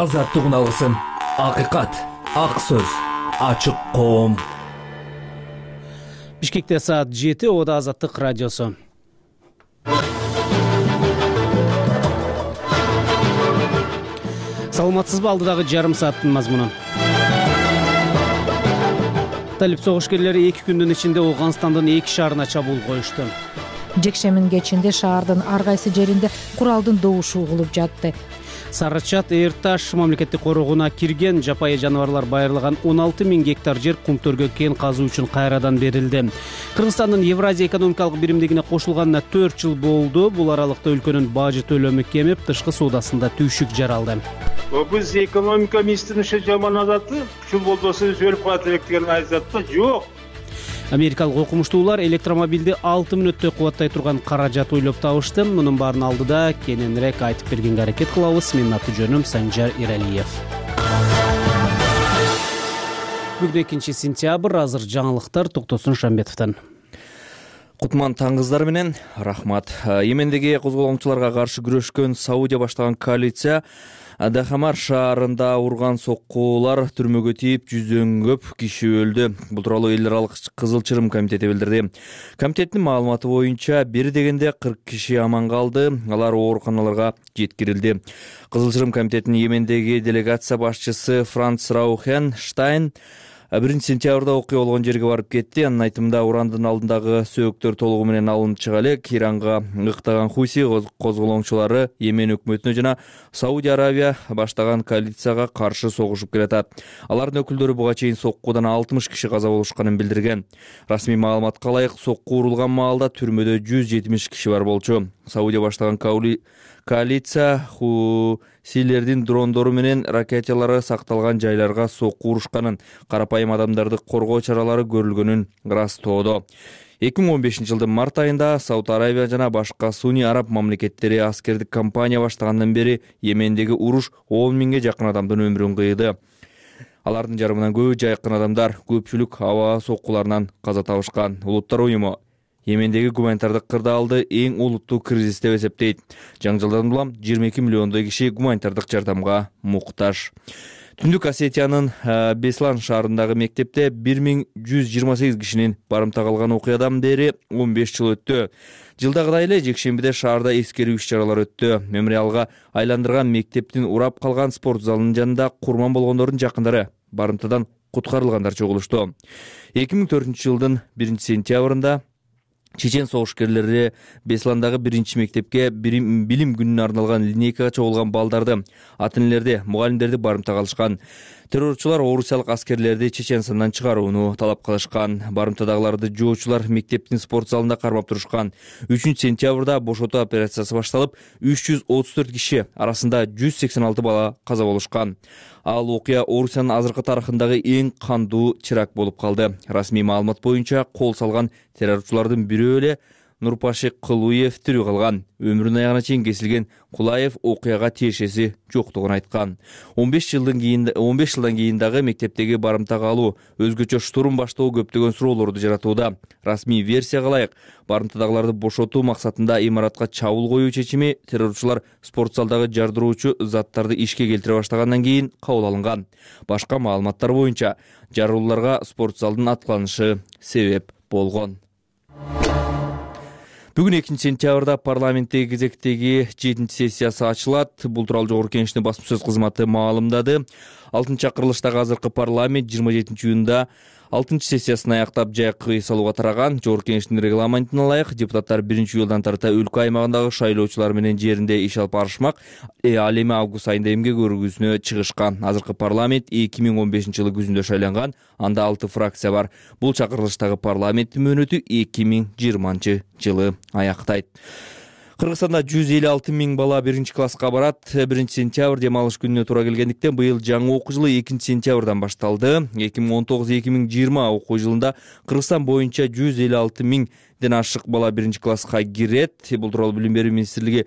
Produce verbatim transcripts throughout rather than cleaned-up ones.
Азаттык алгысым, акыйкат, ак сөз, ачык коом. Бишкекте саат жети, Ода Азаттык радиосу. Саламатсызбы, алдыдагы жарым сааттын мазмуну. Талип согушкерлери эки күндүн ичинде Ооганстандын эки шаарына чабуул коюшту. Жекшембин кечинде шаардын ар кайсы жеринде куралдын добушу угулуп жатты. Сарычат Эрташ мамлекеттик корогуна кирген жапайы жаныбарлар байырлаган он алты миң гектар жер кумтөргө кен казуу үчүн кайрадан берилди. Кыргызстандын Евразия экономикалык биримдигине кошулганына төрт жыл болду. Бул аралыкта өлкөнүн бажы төлөмү кемип, тышкы соодасында түйшүк жаралды. Биз экономика министринин иши жаман азаты, ушул болбосо өлүп калат элек деген айзатта жок. Америкалык окумуштуулар электромобилди алты мүнөттө кубаттай турган каражат ойлоп табышты. Мунун баарын алдыда кененирээк айтып бергенге аракет кылабыз. Менин аты жөнүм Санжар Иралиев. Бүгүн экинчи сентябрь, азыр жаңылыктар Токтосун Шамбетовдон. Кутман таңгыздар менен рахмат. Йемендеги козголоңчуларга каршы күрөшкөн Саудия баштаган коалиция Дахамар шаарында урган соккуулар түрмөгө тийип, жүздөн көп киши өлдү. Бул тууралуу эл аралык Кызыл Чырым комитети билдирди. Комитеттин маалыматы боюнча бир дегенде кырк киши аман калды, алар ооруканаларга жеткирилди. Кызыл Чырым комитетинин Йемендеги делегация башчысы Франц Раухен Штайн биринчи сентябрда окуя болгон жерге барып кетти. Анын айтымында урандын алдындагы сөөктөр толугу менен алынып чыга элек. Иранга ыктаган Хуси козголоңчулары Йемен өкмөтүнө жана Саудия Аравия баштаган коалицияга каршы согушуп келатат. Алардын өкүлдөрү буга чейин соккуудан алтымыш киши каза болушканын билдирген. Расмий маалыматка ылайык, сокку урулган маалда түрмөдө жүз жетимиш киши бар болчу. Саудия баштаган коалиция Хусилердин дрондору менен ракеталары сакталган жайларга сокку урушканын, карапайым адамдарды коргоо чаралары көрүлгөнүн ырастоодо. эки миң он бешинчи жылдын март айында Сауд Аравия жана башка суний араб мамлекеттери аскердик кампания баштагандан бери Йемендеги уруш он миңге жакын адамдын өмүрүн кыйды. Алардын жарымынан көбү жайкын адамдар, көпчүлүк аба соккуларынан каза табышкан. Улуттар уюму Йемендеги гуманитардык кырдаалды эң олуттуу кризис деп эсептейт. Жаңжалдан улам жыйырма эки миллиондой киши гуманитардык жардамга муктаж. Түндүк Осетиянын Беслан шаарындагы мектепте бир миң жүз жыйырма сегиз кишинин барымтага алган окуядан бери он беш жыл өттү. Жылдагыдай эле жекшембиде шаарда эскерүү иш-чаралары өттү. Мемориалга айландырган мектептин урап калган спорт залынын жанында курман болгондордун жакындары барымтадан куткарылгандар чогулушту. эки миң төртүнчү жылдын биринчи сентябрында чечен согушкерлери Бесландагы биринчи мектепке билим күнүнө арналган линейкага чогулган балдарды, ата-энелерди, мугалимдерди барымтага алышкан. Террорчулар орусиялык аскерлерди Чеченстандан чыгарууну талап кылышкан. Барымтадагыларды жоочулар мектептин спорт залында кармап турушкан. үчүнчү сентябрда бошотуу операциясы башталып, үч жүз отуз төрт киши, арасында жүз сексен алты бала каза болушкан. Ал окуя Орусиянын азыркы тарыхындагы эң кандуу чырак болуп калды. Расмий маалымат боюнча кол салган террорчулардын бирөө эле Нурпаши Кылуев тирүү калган. Өмүрүнүн аягына чейин кесилген Кулаев окуяга тиешеси жоктугун айткан. он беш жылдан кийин он беш жылдан кийин дагы мектептеги барымтага алуу, өзгөчө штурм баштоо көптөгөн суроолорду жаратууда. Расмий версияга ылайык, барымтадагыларды бошотуу максатында имаратка чабуул коюу чечими террорчулар спорт залдагы жардыруучу заттарды ишке келтире баштагандан кийин кабыл алынган. Башка маалыматтар боюнча жарылууларга спорт залдын аткыланышы себеп болгон. Бүгүн экинчи сентябрда парламенттеги кезектеги жетинчи сессиясы ачылат. Бул тууралуу Жогорку Кеңештин басма сөз кызматы маалымдады. алтынчы чакырылыштагы азыркы парламент жыйырма жетинчи июнда алтынчы сессиясын аяктап жайкы эс алууга тараган. Жогорку Кеңештин регламентине ылайык депутаттар биринчи июлдан тарта өлкө аймагындагы шайлоочулар менен жеринде иш алып барышмак. Э ал эми август айында эмгек өргүүсүнө чыгышкан. Азыркы парламент эки миң он бешинчи жылы күзүндө шайланган. Анда алты фракция бар. Бул чакырылыштагы парламенттин мөөнөтү эки миң жыйырманчы жылы аяктайт. Кыргызстанда жүз элүү алты миң бала биринчи класска барат. биринчи сентябрь дем алыш күнүнө туура келгендиктен быйыл жаңы окуу жылы экинчи сентябрдан башталды. эки миң он тогуз эки миң жыйырма окуу жылында Кыргызстан боюнча жүз элүү алты миңден ашык бала биринчи класска кирет. Бул тууралуу Билим берүү министрлиги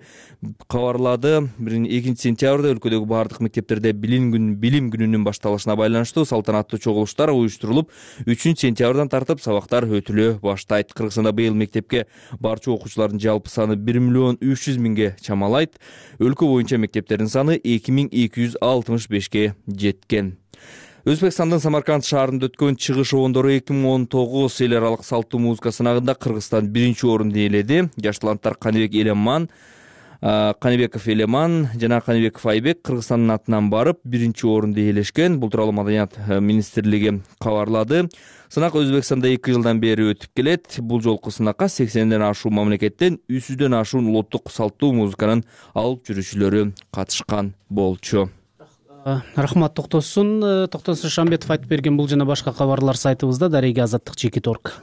кабарлады. экинчи сентябрда өлкөдөгү бардык мектептерде билим күн билим күнүнүн башталышына байланыштуу салтанаттуу чогулуштар уюштурулуп, үчүнчү сентябрдан тартып сабактар өтүлө баштайт. Кыргызстанда быйыл мектепке барчу окуучулардын жалпы саны бир миллион миллион үч жүз миңге чамалайт. Өлкө боюнча мектептердин саны эки миң эки жүз алтымыш бешке жеткен. Өзбекстандын Самарканд шаарында өткөн чыгыш обондору эки миң он тогуз эл аралык салттуу музыка сынагында Кыргызстан биринчи орунду ээледи. Жаш таланттар Каныбек Элеман, Каныбеков Элеман жана Каныбеков Айбек Кыргызстандын атынан барып биринчи орунду ээлешкен. Бул тууралуу Маданият министрлиги кабарлады. Сынак Өзбекстанда эки жылдан бери өтүп келет. Бул жолку сынакка сексенден ашуун мамлекеттен үч жүздөн ашуун улуттук салттуу музыканын алып жүрүүчүлөрү катышкан болчу. Рахмат Токтосун. Токтосун Шамбетов айтып берген бул жана башка кабарлар сайтыбызда дареги азаттык чеки торг.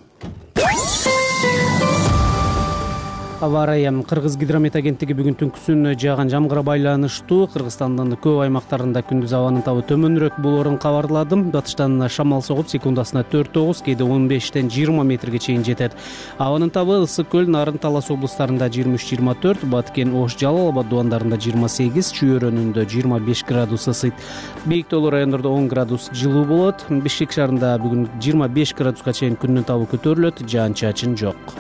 Аба ырайы. Кыргыз гидромет агенттиги бүгүн түнкүсүн жааган жамгырга байланыштуу Кыргызстандын көп аймактарында күндүз абанын табы төмөнүрөөк болоорун кабарлады. Батыштан шамал согуп секундасына төрт тогуз, кээде он бештен жыйырма метрге чейин жетет. Абанын табы Ысык көл, Нарын, Талас облустарында жыйырма үч жыйырма төрт, Баткен, Ош, Жалал Абад дубандарында жыйырма сегиз, Чүй-өрөнүндө жыйырма беш градус ысыйт. Бийик тоолуу райондордо он градус жылуу болот. Бишкек шаарында бүгүн жыйырма беш градуска чейин күндүн табы көтөрүлөт, жаан-чачын жок.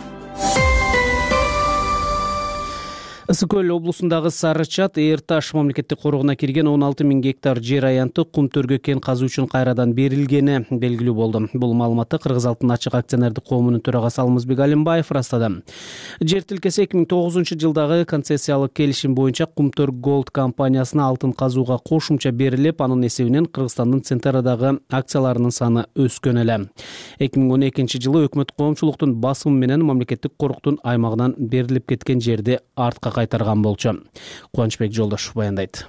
Ысык көл облусундагы Сары Чат Эйр Таш мамлекеттик корогуна кирген он алты миң гектар жер аянты кум төргө кен казуу үчүн кайрадан берилгени белгилүү болду. Бул маалыматты Кыргыз Алтын ачык акционердик коомунун төрагасы Алмазбек Алимбаев ырастады. Жер тилкеси эки миң тогузунчу жылдагы концессиялык келишим боюнча Кумтөр Голд компаниясына алтын казууга кошумча берилип, анын эсебинен Кыргызстандын Центрдагы акцияларынын саны өскөн эле. эки миң он экинчи жылы өкмөт коомчулуктун басымы менен мамлекеттик коруктун аймагынан берилип кеткен жерди артка кайтарган болчу. Кубанычбек Жолдошов баяндайт.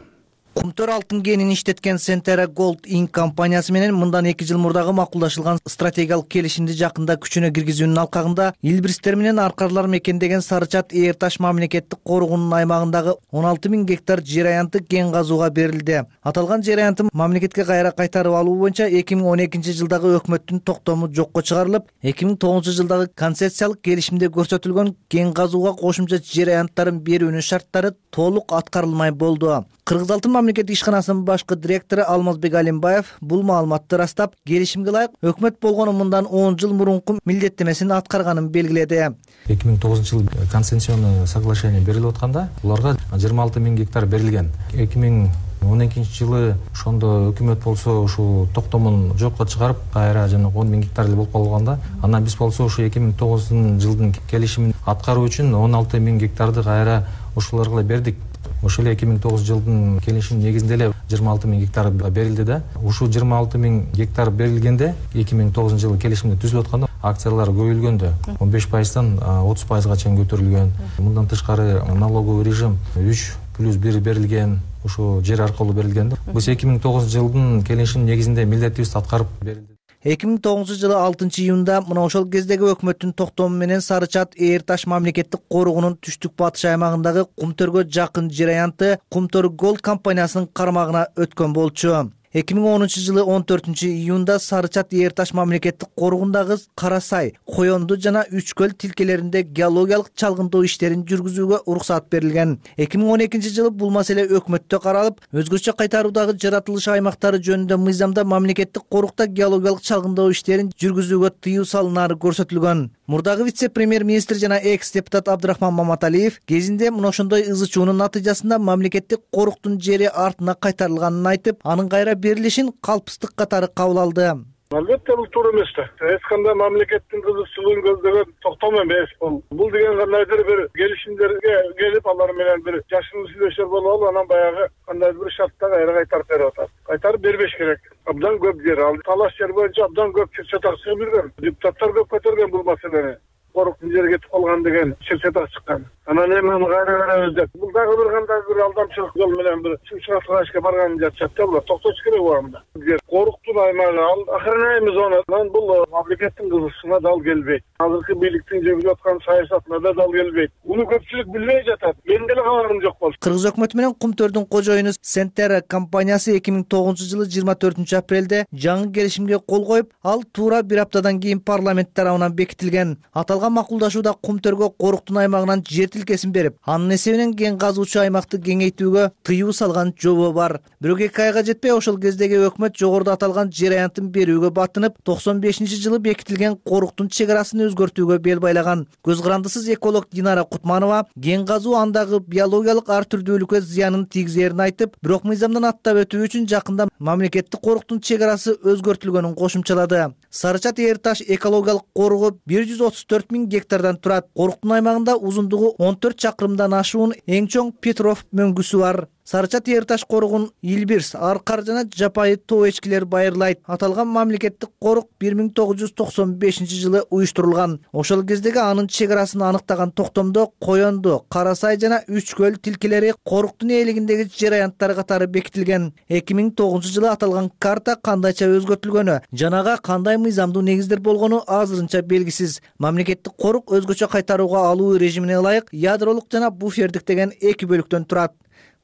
Кумтөр алтын кенин иштеткен Centera Gold Inc компаниясы менен мындан эки жыл мурдагы макулдашылган стратегиялык келишимди жакында күчүнө киргизүүнүн алкагында Илбирстер менен аркарлар мекендеген Сары Чат Эйр Таш мамлекеттик коргоонун аймагындагы он алты миң гектар жер аянты кен казууга берилди. Аталган жер аянты мамлекетке кайра кайтарып алуу боюнча эки миң он экинчи жылдагы өкмөттүн токтому жокко чыгарылып, эки миң тогузунчу жылдагы концессиялык келишимде көрсөтүлгөн кен казууга кошумча жер аянттарын берүүнүн шарттары толук аткарылмай болду. Кыргыз Алтын мамлекеттик ишканасынын башкы директору Алмазбек Алимбаев бул маалыматты ырастап, келишимге ылайык өкмөт болгону мындан он жыл мурунку милдеттемесин аткарганын белгиледи. эки миң тогузунчу жылы концессионный соглашение берилип атканда уларга жыйырма алты миң гектар берилген. эки миң он экинчи жылы ошондо өкмөт болсо ушул токтомун жокко чыгарып, кайра жана он миң гектар эле болуп калганда, анан биз болсо ушу эки миң тогузунчу жылдын келишимин аткаруу үчүн он алты миң гектарды кайра ушуларга бердик. Ошол эле эки миң тогузунчу жылдын келишим негизинде эле жыйырма алты миң гектар берилди да. Ушул жыйырма алты миң гектар берилгенде эки миң тогузунчу жылы келишимде түзүлүп атканда акциялар көбөйлгөндө он беш пайыздан отуз пайызга чейин көтөрүлгөн. Мындан тышкары налоговый режим үч плюс бир берилген, ушу жер аркылуу берилген. Биз эки миң тогузунчу жылдын келишим негизинде милдетибизди аткарып берилди. эки миң тогузунчу жылы алтынчы июнда мына ошол кездеги өкмөттүн токтому менен Сары Чат Эйр Таш мамлекеттик коргоонун түштүк батыш аймагындагы Кумтөргө жакын жер аянты Кумтөр Голд компаниясынын кармагына өткөн болчу. эки миң онунчу жылы он төртүнчү июнда Сары Чат Эйр Таш мамлекеттик коргоонундагы Кара Сай, Коёнду жана Үч көл тилкелеринде геологиялык чалгындоо иштерин жүргүзүүгө уруксат берилген. эки миң он экинчи жылы бул маселе өкмөттө каралып, өзгөчө кайтаруудагы жаратылыш аймактары жөнүндө мыйзамда мамлекеттик корукта геологиялык чалгындоо иштерин жүргүзүүгө тыюу салынаары көрсөтүлгөн. Мурдагы вице-премьер-министр жана экс-депутат Абдрахман Маматалиев кезинде мына ошондой ызы чуунун натыйжасында мамлекеттик коруктун жери артына кайтарылганын айтып, анын кайра берилишин калпстык катары кабыл алды. Албетте бул туура эмес да. Эч кандай мамлекеттин кызыкчылыгын көздөгөн токтом эмес бул. Бул деген кандайдыр бир келишимдерге келип, алар менен бир жашын сүйлөшөр болуп, анан баягы кандайдыр бир шартта кайра кайтарып берип атат. Кайтарып бербеш керек. Абдан көп жер ал. Талаш жер боюнча абдан көп чыр-чатак чыгып жүргөн. Депутаттар көп көтөргөн бул маселени. Коруктун жери кетип калган деген чыр-чатак чыккан. Анан эми аны кайра беребиз деп. Бул дагы бир кандай бир алдамчылык жол менен бир чыгышка барган жатышат да булар. Токтош керек убагында. Коруктун аймагы ал охраняемый зонанан бул мамлекеттин кызыкчылыгына дал келбейт. Азыркы бийликтин жүргүзүп аткан саясатына да дал келбейт. Муну көпчүлүк билбей жатат. Мен деле кабарым жок болчу. Кыргыз өкмөтү менен Кумтөрдүн кожоюну Centera компаниясы эки миң тогузунчу жылы жыйырма төртүнчү апрелде жаңы келишимге кол коюп, ал туура бир аптадан кийин парламент тарабынан бекитилген. Аталган макулдашууда Кумтөргө коруктун аймагынан жер тилкесин берип, анын эсебинен кен казуучу аймакты кеңейтүүгө тыюу салган жобо бар. Бирок эки айга жетпей ошол кездеги өкмөт жогоруда аталган жер аянтын берүүгө батынып, токсон бешинчи жылы бекитилген коруктун чек арасын өзгөртүүгө бел байлаган. Көз карандысыз эколог Динара Кутманова кен казуу андагы биологиялык ар түрдүүлүккө зыянын тийгизерин айтып, бирок мыйзамдан аттап өтүү үчүн жакында мамлекеттик коруктун чек арасы өзгөртүлгөнүн кошумчалады. Сарычат Эр Таш экологиялык коругу бир жүз отуз төрт миң гектардан турат. Коруктун аймагында узундугу он төрт чакырымдан ашуун эң чоң Петров мөңгүсү бар. Сарычат Эр Таш коругун Илбирс, Аркар жана Жапайы тоо эчкилер байырлайт. Аталган мамлекеттик корук бир миң тогуз жүз токсон бешинчи жылы уюштурулган. Ошол кездеги анын чек арасын аныктаган токтомдо Коёнду, Кара Сай жана Үч көл тилкелери коруктун ээлигиндеги жер аянттар катары бекитилген. эки миң тогузунчу жылы аталган карта кандайча өзгөртүлгөнү, жанага кандай мыйзамдуу негиздер болгону азырынча белгисиз. Мамлекеттик корук өзгөчө кайтарууга алуу режимине ылайык ядролук жана буфердик деген эки бөлүктөн турат.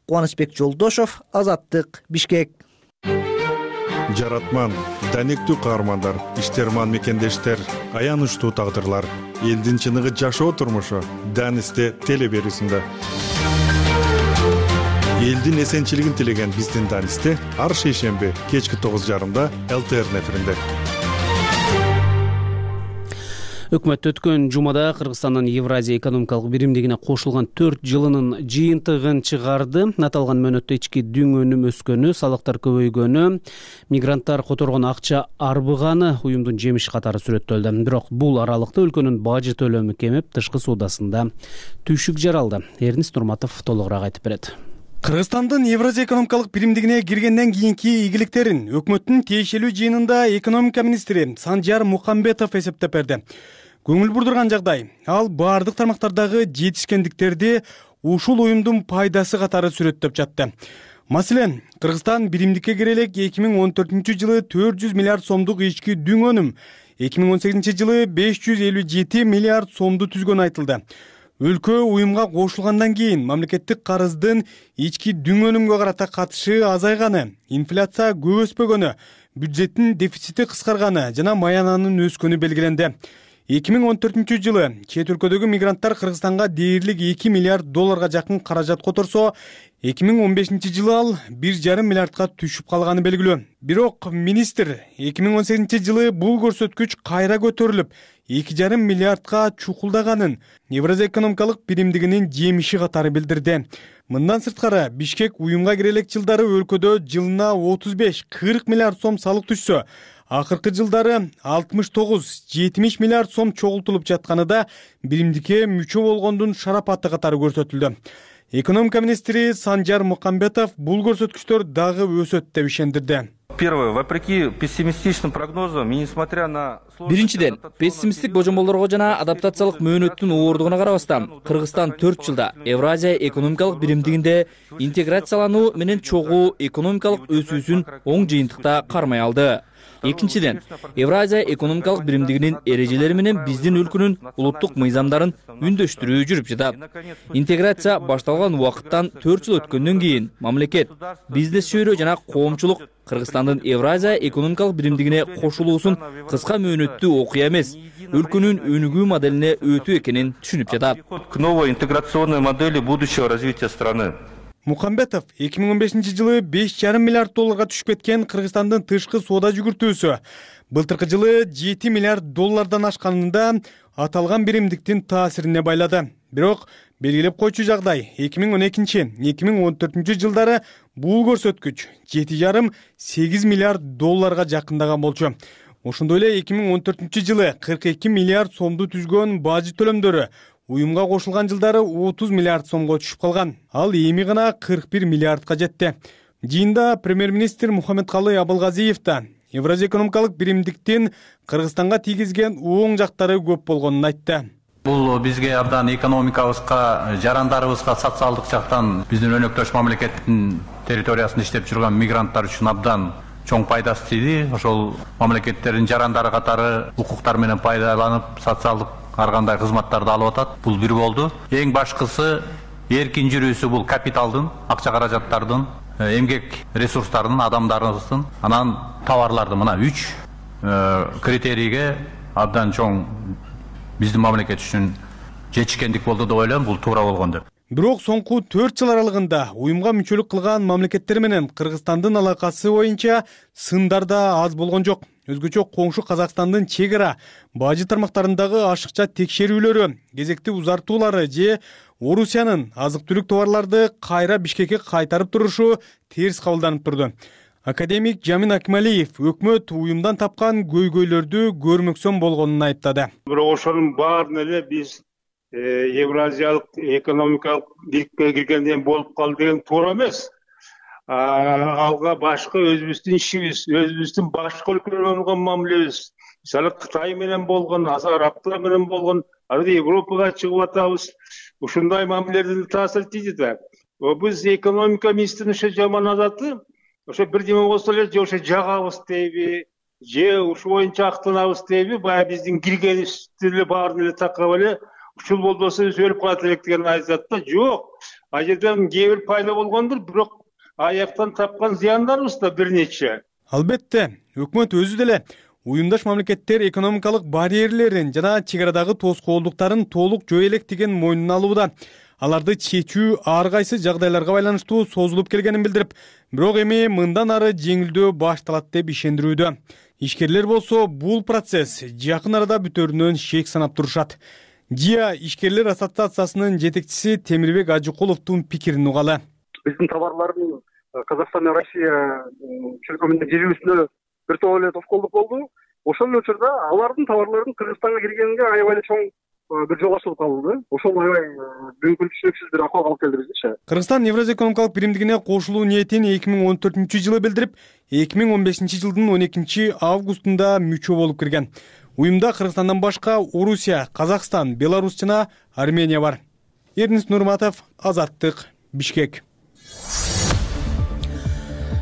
Кубанычбек Жолдошов, Азаттык, Бишкек. Жаратман, данектүү каармандар, иштерман мекендештер, аянычтуу тагдырлар, элдин чыныгы жашоо турмушу Данисте теле берүүсүндө. Элдин эсенчилигин тилеген биздин Данисте ар шейшемби кечки тогуз жарымда эл тэ эр эфиринде. Өкмөт өткөн жумада Кыргызстандын Евразия экономикалык биримдигине кошулган төрт жылынын жыйынтыгын чыгарды. Аталган мөөнөттө ички дүң өнүм өскөнү, салыктар көбөйгөнү, мигранттар которгон акча арбыганы уюмдун жемиши катары сүрөттөлдү. Бирок бул аралыкта өлкөнүн бажы төлөмү кемип, тышкы суудасында түйшүк жаралды. Эрнис Нурматов толугураак айтып берет. Кыргызстандын Евразия экономикалык биримдигине киргенден кийинки ийгиликтерин өкмөттүн тиешелүү жыйынында экономика министри Санжар Мукамбетов эсептеп берди. Көңүл бурдурган жагдай, ал баардык тармактардагы жетишкендиктерди ушул уюмдун пайдасы катары сүрөттөп жатты. Маселен, Кыргызстан биримдикке кире элек эки миң он төртүнчү жылы төрт жүз миллиард сомдук ички дүң өнүм, эки миң он сегизинчи жылы беш жүз элүү жети миллиард сомду түзгөнү айтылды. Өлкө уюмга кошулгандан кийин мамлекеттик карыздын ички дүң өнүмгө карата катышы азайганы, инфляция көп өспөгөнү, бюджеттин дефицити кыскарганы жана маянанын өскөнү белгиленди. эки миң он төртүнчү жылы чет өлкөдөгү мигранттар Кыргызстанга дээрлик эки миллиард долларга жакын каражат которсо, эки миң он бешинчи жылы ал бир жарым миллиардка түшүп калганы белгилүү. Бирок министр эки миң он сегизинчи жылы бул көрсөткүч кайра көтөрүлүп, эки жарым миллиардка чукулдаганын Евразия экономикалык биримдигинин жемиши катары билдирди. Мындан сырткары, Бишкек уюмга кире элек жылдары өлкөдө жылына отуз беш кырк миллиард сом салык түшсө, акыркы жылдары алтымыш тогуз жетимиш миллиард сом чогултулуп жатканы да биримдикке мүчө болгондун шарапаты катары көрсөтүлдү. Экономика министри Санжар Мукамбетов бул көрсөткүчтөр дагы өсөт деп ишендирди. Первое, вопреки пессимистичным прогнозам и несмотря на... Биринчиден, пессимисттик божомолдорго жана адаптациялык мөөнөттүн ооругуна карабастан, Кыргызстан төрт жылда Евразия экономикалык биримдигинде интеграциялануу менен чогуу экономикалык өсүүсүн оң жыйынтыкта кармай алды. Экинчиден, Евразия экономикалык биримдигинин эрежелери менен биздин өлкөнүн улуттук мыйзамдарын үндөштүрүү жүрүп жатат. Интеграция башталган убакыттан төрт жыл өткөндөн кийин мамлекет, бизнес чөйрө жана коомчулук Кыргызстандын Евразия экономикалык биримдигине кошулуусун кыска мөөнөттүү окуя эмес, өлкөнүн өнүгүү моделине өтүү экенин түшүнүп жатат. К новой интеграционной модели будущего развития страны. Мукамбетов эки миң он бешинчи жылы беш жарым миллиард долларга түшүп кеткен Кыргызстандын тышкы соода жүгүртүүсү былтыркы жылы жети миллиард доллардан ашканында аталган биримдиктин таасирине байлады. Бирок белгилеп койчу жагдай, эки миң он экинчи — эки миң он төртүнчү жылдары бул көрсөткүч жети жарым сегиз миллиард долларга жакындаган болчу. Ошондой эле эки миң он төртүнчү жылы кырк эки миллиард сомду түзгөн бажы төлөмдөрү уюмга кошулган жылдары отуз миллиард сомго түшүп калган. Ал эми гана кырк бир миллиардка жетти. Жыйында премьер-министр Мухаммедкалый Абылгазиев да Евразия экономикалык биримдиктин Кыргызстанга тийгизген оң жактары көп болгонун айтты. Бул бизге абдан экономикабызга, жарандарыбызга социалдык жактан биздин өнөктөш мамлекеттин территориясында иштеп жүргөн мигранттар үчүн абдан чоң пайдасы тийди. Ошол мамлекеттердин жарандары катары укуктар менен пайдаланып, социалдык ар кандай кызматтарды алып атат. Бул бир болду. Эң башкысы эркин жүрүүсү бул капиталдын, акча каражаттардын, эмгек ресурстарынын, адамдарыбыздын, анан товарлардын мына үч критерийге абдан чоң биздин мамлекет үчүн жетишкендик болду деп ойлойм, бул туура болгон деп. Бирок соңку төрт жыл аралыгында уюмга мүчөлүк кылган мамлекеттер менен Кыргызстандын алакасы боюнча сындар да аз болгон жок. Өзгөчө коңшу Казакстандын чек ара бажы тармактарындагы ашыкча текшерүүлөрү, кезекти узартуулары же Орусиянын азык-түлүк товарларды кайра Бишкекке кайтарып турушу терс кабылданып турду. Академик Жамин Акмалиев өкмөт уюмдан тапкан көйгөйлөрдү көрмөксөн болгонун айыптады. Бирок ошонун баарын эле биз Евразиялык экономикалык бийликке киргенден болуп калды деген туура эмес. Алга башка өзүбүздүн ишибиз, өзүбүздүн башка өлкөлөр менен болгон мамилебиз, мисалы Кытай менен болгон, Арабтар менен болгон, анда Европага чыгып атабыз. Ушундай мамилелердин таасири тийди да. Биз экономика министринин ошо жаман адаты, ошо бирдеме болсо эле же ошо жагабыз дейби, же ушу боюнча актанабыз дейби, баягы биздин киргенибизди эле баарын эле такап эле ушул болбосо биз өлүп калат элек деген айтат да. Жок, ал жерден кээ бир пайда болгондур, бирок аяктан тапкан зыяндарыбыз да бир нече. Албетте, өкмөт өзү деле уюмдаш мамлекеттер экономикалык барьерлерин жана чек арадагы тоскоолдуктарын толук жөө элек деген мойнуна алууда. Аларды чечүү ар кайсы жагдайларга байланыштуу созулуп келгенин билдирип, бирок эми мындан ары жеңилдөө башталат деп ишендирүүдө. Ишкерлер болсо бул процесс жакын арада бүтөрүнөн шек санап турушат. ЖИА ишкерлер ассоциациясынын жетекчиси Темирбек Ажыкуловдун пикирин угалы. Биздин товарлардын Казакстан менен Россия чөлкөмүндө жибүүсүнө бир топ эле тоскоолдук болду. Ошол эле учурда алардын товарларынын Кыргызстанга киргенине аябай эле чоң бир жол ачылып калды. Ошол аябай мүмкүнчүлүксүз бир акыбалга алып келди бизчи. Кыргызстан Евразия экономикалык биримдигине кошулуу ниетин эки миң он төртүнчү жылы билдирип, эки миң он бешинчи жылдын он экинчи августунда мүчө болуп кирген. Уюмда Кыргызстандан башка Орусия, Казакстан, Беларусь жана Армения бар. Эрнис Нурматов, Азаттык, Бишкек.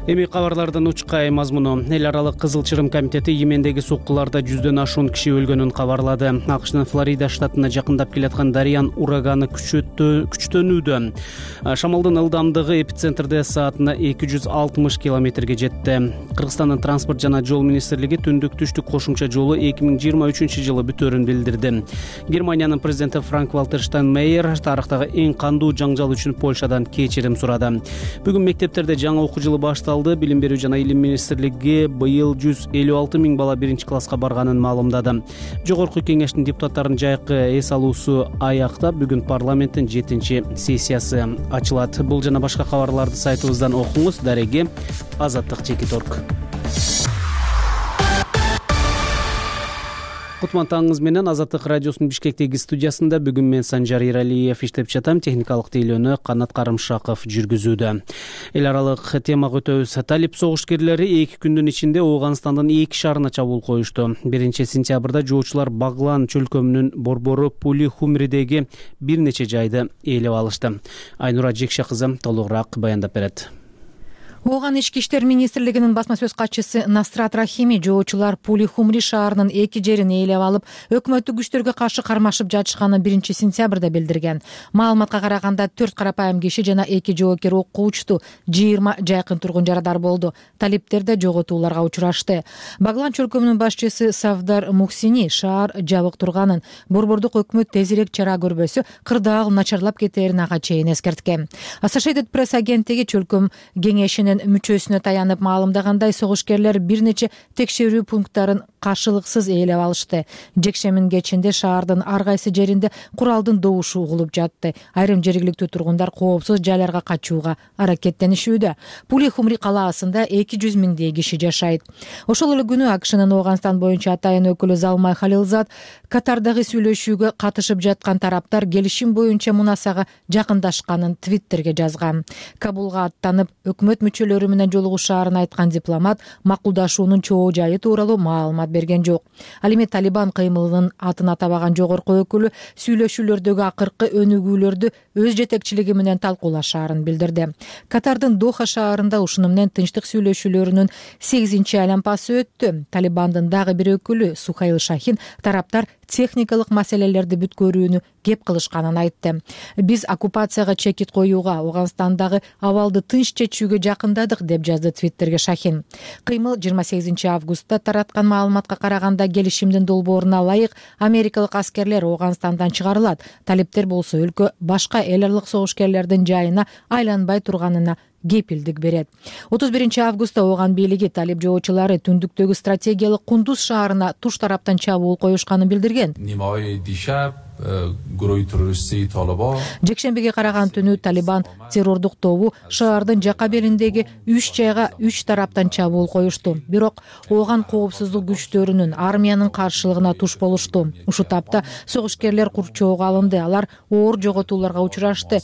Эми кабарлардын учкай мазмуну. Эл аралык Кызыл Чырым комитети Йемендеги соккуларда жүздөн ашуун киши өлгөнүн кабарлады. АКШнын Флорида штатына жакындап келаткан Дариян ураганы күчтөнүүдө. Шамалдын ылдамдыгы эпицентрде саатына эки жүз алтымыш километрге жетти. Кыргызстандын транспорт жана жол министрлиги түндүк түштүк кошумча жолу эки миң жыйырма үчүнчү жылы бүтөөрүн билдирди. Германиянын президенти Франк-Вальтер Штайнмейер тарыхтагы эң кандуу жаңжал үчүн Польшадан кечирим сурады. Бүгүн мектептерде жаңы окуу жылы башталды. Билим берүү жана илим министрлиги быйыл жүз элүү алты миң бала биринчи класска барганын маалымдады. Жогорку кеңештин депутаттарынын жайкы эс алуусу аяктап, бүгүн парламенттин жетинчи сессиясы ачылат. Бул жана башка кабарларды сайтыбыздан окуңуз. Дареги Азаттык Чекиторг. Кутман таңыңыз менен Азаттык радиосунун Бишкектеги студиясында бүгүн мен Санжар Иралиев иштеп жатам. Техникалык тейлөөнү Канат Карымшаков жүргүзүүдө. Эл аралык темага өтөбүз. Талип согушкерлери эки күндүн ичинде Ооганстандын эки шаарына чабуул коюшту. биринчи сентябрда жоочулар Баглан чөлкөмүнүн борбору Пулихумридеги бир нече жайды ээлеп алышты. Айнура Жекше кызы толугураак баяндап берет. Ооган ички иштер министрлигинин басма сөз катчысы Насрат Рахими жоочулар Пулихумри шаарынын эки жерин ээлеп алып, өкмөттүк күчтөргө каршы кармашып жатышканын биринчи сентябрда билдирген. Маалыматка караганда төрт карапайым киши жана эки жоокер окуучу, жыйырма жайкын тургун жарадар болду. Талиптер да жоготууларга учурашты. Баглан чөлкөмүнүн башчысы Савдар Мухсини шаар жабык турганын, борбордук өкмөт тезирээк чара көрбөсө кырдаал начарлап кетерин ага чейин эскерткен. Associated Press агенттиги чөлкөм кеңешинин мүчөсүнө таянып маалымдагандай, согушкерлер бир нече текшерүү пункттарын каршылыксыз ээлеп алышты. Жекшемин кечинде шаардын ар кайсы жеринде куралдын добушу угулуп жатты. Айрым жергиликтүү тургундар коопсуз жайларга качууга аракеттенишүүдө. Пулихумри калаасында эки жүз миңдей киши жашайт. Ошол эле күнү АКШнын Ооганстан боюнча атайын өкүлү Залмай Халилзад Катардагы сүйлөшүүгө катышып жаткан тараптар келишим боюнча мунасага жакындашканын Твиттерге жазган. Кабулга аттанып, өкмөт мүчөлөрү менен жолугушаарын айткан дипломат макулдашуунун чоо жайы тууралуу маалымат берген жок. Ал эми Талибан кыймылынын атын атабаган жогорку өкүлү сүйлөшүүлөрдөгү акыркы өнүгүүлөрдү өз жетекчилиги менен талкуулашаарын билдирди. Катардын Доха шаарында ушуну менен тынчтык сүйлөшүүлөрүнүн сегизинчи айланпасы өттү. Талибандын дагы бир өкүлү Сухайл Шахин тараптар техникалык маселелерди бүткөрүүнү кеп кылышканын айтты. Биз оккупацияга чекит коюуга, Ооганстандагы абалды тынч чечүүгө жакындадык, деп жазды Твиттерге Шахин. Кыймыл жыйырма сегизинчи августта тараткан маалыматка караганда келишимдин долбооруна ылайык америкалык аскерлер Ооганстандан чыгарылат. Талиптер болсо өлкө башка эл аралык согушкерлердин жайына айланбай турганына кепилдик берет. отуз биринчи августта Ооган бийлиги талип жоочулары түндүктөгү стратегиялык Кундуз шаарына туш тараптан чабуул коюшканын билдирген. Жекшембиге караган түнү Талибан террордук тобу шаардын жака белиндеги үч жайга үч тараптан чабуул коюшту. Бирок Ооган коопсуздук күчтөрүнүн армиянын каршылыгына туш болушту. Ушул тапта согушкерлер курчоого алынды. Алар оор жоготууларга учурашты.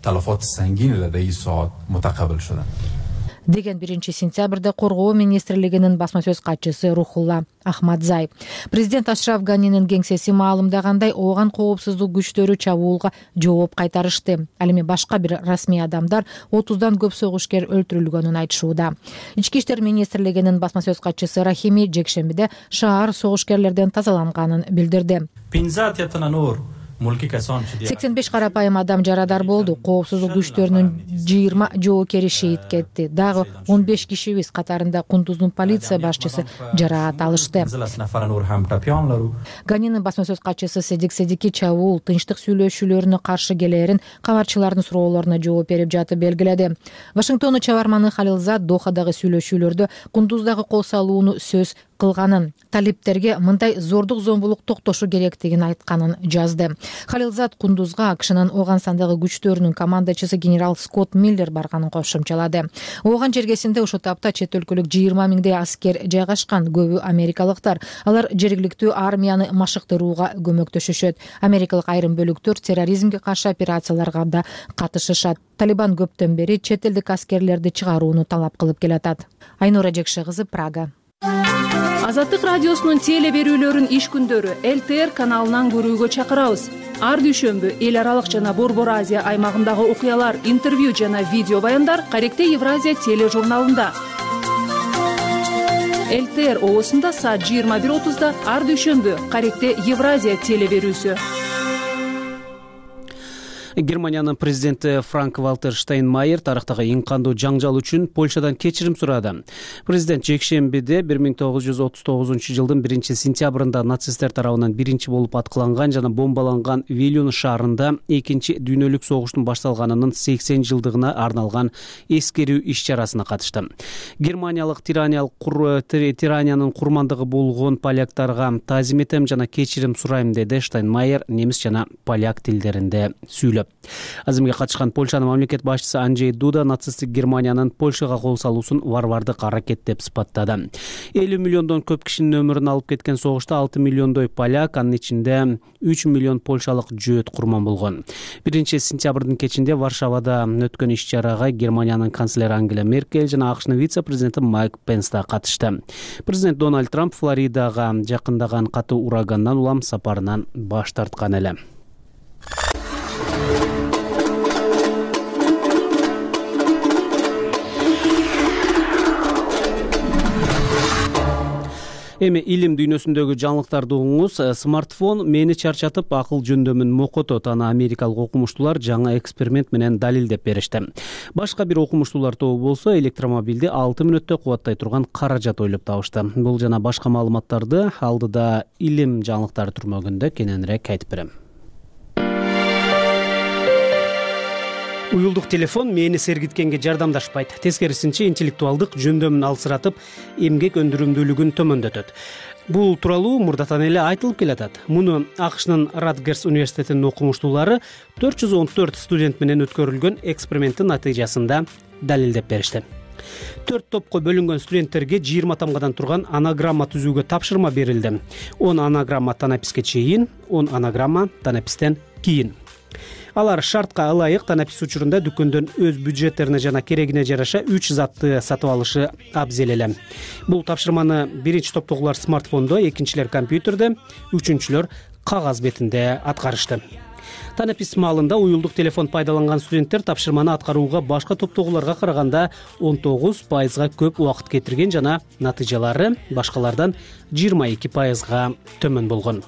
تلفات سنگین لدى ساعات متقبل شدن. деген биринчи сентябрда Коргоо министрлигинин басма сөз катчысы Рухулла Ахмадзай. Президент Ашраф Ганинин кеңсеси маалымдагандай, Ооган коопсуздук күчтөрү чабуулга жооп кайтарышты. Ал эми башка бир расмий адамдар отуздан көп согушкер өлтүрүлгөнүн айтышууда. Ички иштер министрлигинин басма сөз катчысы Рахими жекшембиде шаар согушкерлерден тазаланганын билдирди. сексен беш карапайым адам жарадар болду. Коопсуздук күчтөрүнүн жыйырма жоокери шейит кетти. Дагы он беш кишибиз, катарында Кундуздун полиция башчысы, жараат алышты. Ганинин басма сөз катчысы Седик Седики чабуул тынчтык сүйлөшүүлөрүнө каршы келээрин кабарчылардын суроолоруна жооп берип жатып белгиледи. Вашингтондун чабарманы Халилзад Дохадагы сүйлөшүүлөрдө Кундуздагы кол салууну сөз кылганын, талиптерге мындай зордук зомбулук токтошу керектигин айтканын жазды. Халилзад Кундузга АКШнын Ооганстандагы күчтөрүнүн командачысы генерал Скотт Миллер барганын кошумчалады. Ооган жергесинде ошол тапта чет өлкөлүк жыйырма миңдей аскер жайгашкан, көбү америкалыктар. Алар жергиликтүү армияны машыктырууга көмөктөшүшөт. Америкалык айрым бөлүктөр терроризмге каршы операцияларга да катышышат. Талибан көптөн бери чет элдик аскерлерди чыгарууну талап кылып келатат. Айнура Жекше кызы, Прага. Азаттык радиосунун теле берүүлөрүн иш күндөрү Эл Т Р каналынан көрүүгө чакырабыз. Ар дүйшөмбү эл аралык жана Борбор Азия аймагындагы окуялар, интервью жана видео баяндар Каректе Евразия тележурналында. Эл Т Р оосунда саат жыйырма бир отузда ар дүйшөмбү Каректе Евразия теле берүүсү. Германиянын президенти Франк Валтер Штайнмайер тарыхтагы эң кандуу жаңжал үчүн Польшадан кечирим сурады. Президент жекшембиде бир миң тогуз жүз отуз тогузунчу жылдын биринчи сентябрында нацисттер тарабынан биринчи болуп аткыланган жана бомбаланган Вильнюс шаарында экинчи дүйнөлүк согуштун башталганынын сексен жылдыгына арналган эскерүү иш-чарасына катышты. Германиялык тираниялык тираниянын курмандыгы болгон поляктарга таазим этем жана кечирим сурайм, деди Штайнмайер немис жана поляк тилдеринде сүйлөп. Азимге катышкан Польшанын мамлекет башчысы Анджей Дуда нацисттик Германиянын Польшага кол салуусун варвардык аракет деп сыпаттады. элүү миллиондон көп кишинин өмүрүн алып кеткен согушта алты миллиондой поляк, анын ичинде үч миллион польшалык жөөт курман болгон. биринчи сентябрдын кечинде Варшавада өткөн иш-чарага Германиянын канцлери Ангела Меркель жана АКШнын вице-президенти Майк Пенс да катышты. Президент Дональд Трамп Флоридага жакындаган катуу урагандан улам сапарынан баш тарткан эле. Эми илим дүйнөсүндөгү жаңылыктарды угуңуз. Смартфон мени чарчатып, акыл жөндөмүн мокотот. Аны америкалык окумуштуулар жаңы эксперимент менен далилдеп беришти. Башка бир окумуштуулар тобу болсо электромобилди алты мүнөттө кубаттай турган каражат ойлоп табышты. Бул жана башка маалыматтарды алдыда илим жаңылыктары түрмөгүндө кененирээк айтып берем. Уюлдук телефон мени сергиткенге жардамдашпайт. Тескерисинче интеллектуалдык жөндөмүн алсыратып, эмгек өндүрүмдүүлүгүн төмөндөтөт. Бул тууралуу мурдатан эле айтылып келатат. Муну АКШнын Радгерс университетинин окумуштуулары төрт жүз он төрт студент менен өткөрүлгөн эксперименттин натыйжасында далилдеп беришти. Төрт топко бөлүнгөн студенттерге жыйырма тамгадан турган анаграмма түзүүгө тапшырма берилди. он анаграмма танаписке чейин, он анаграмма танапистен кийин. Алар шартка ылайык танапис учурунда дүкөндөн өз бюджеттерине жана керегине жараша үч затты сатып алышы абзел эле. Бул тапшырманы биринчи топтогулар смартфондо, экинчилер компьютерде, үчүнчүлөр кагаз бетинде аткарышты. Танапис маалында уюлдук телефон пайдаланган студенттер тапшырманы аткарууга башка топтогуларга караганда он тогуз пайызга көп убакыт кетирген жана натыйжалары башкалардан жыйырма эки пайызга төмөн болгон.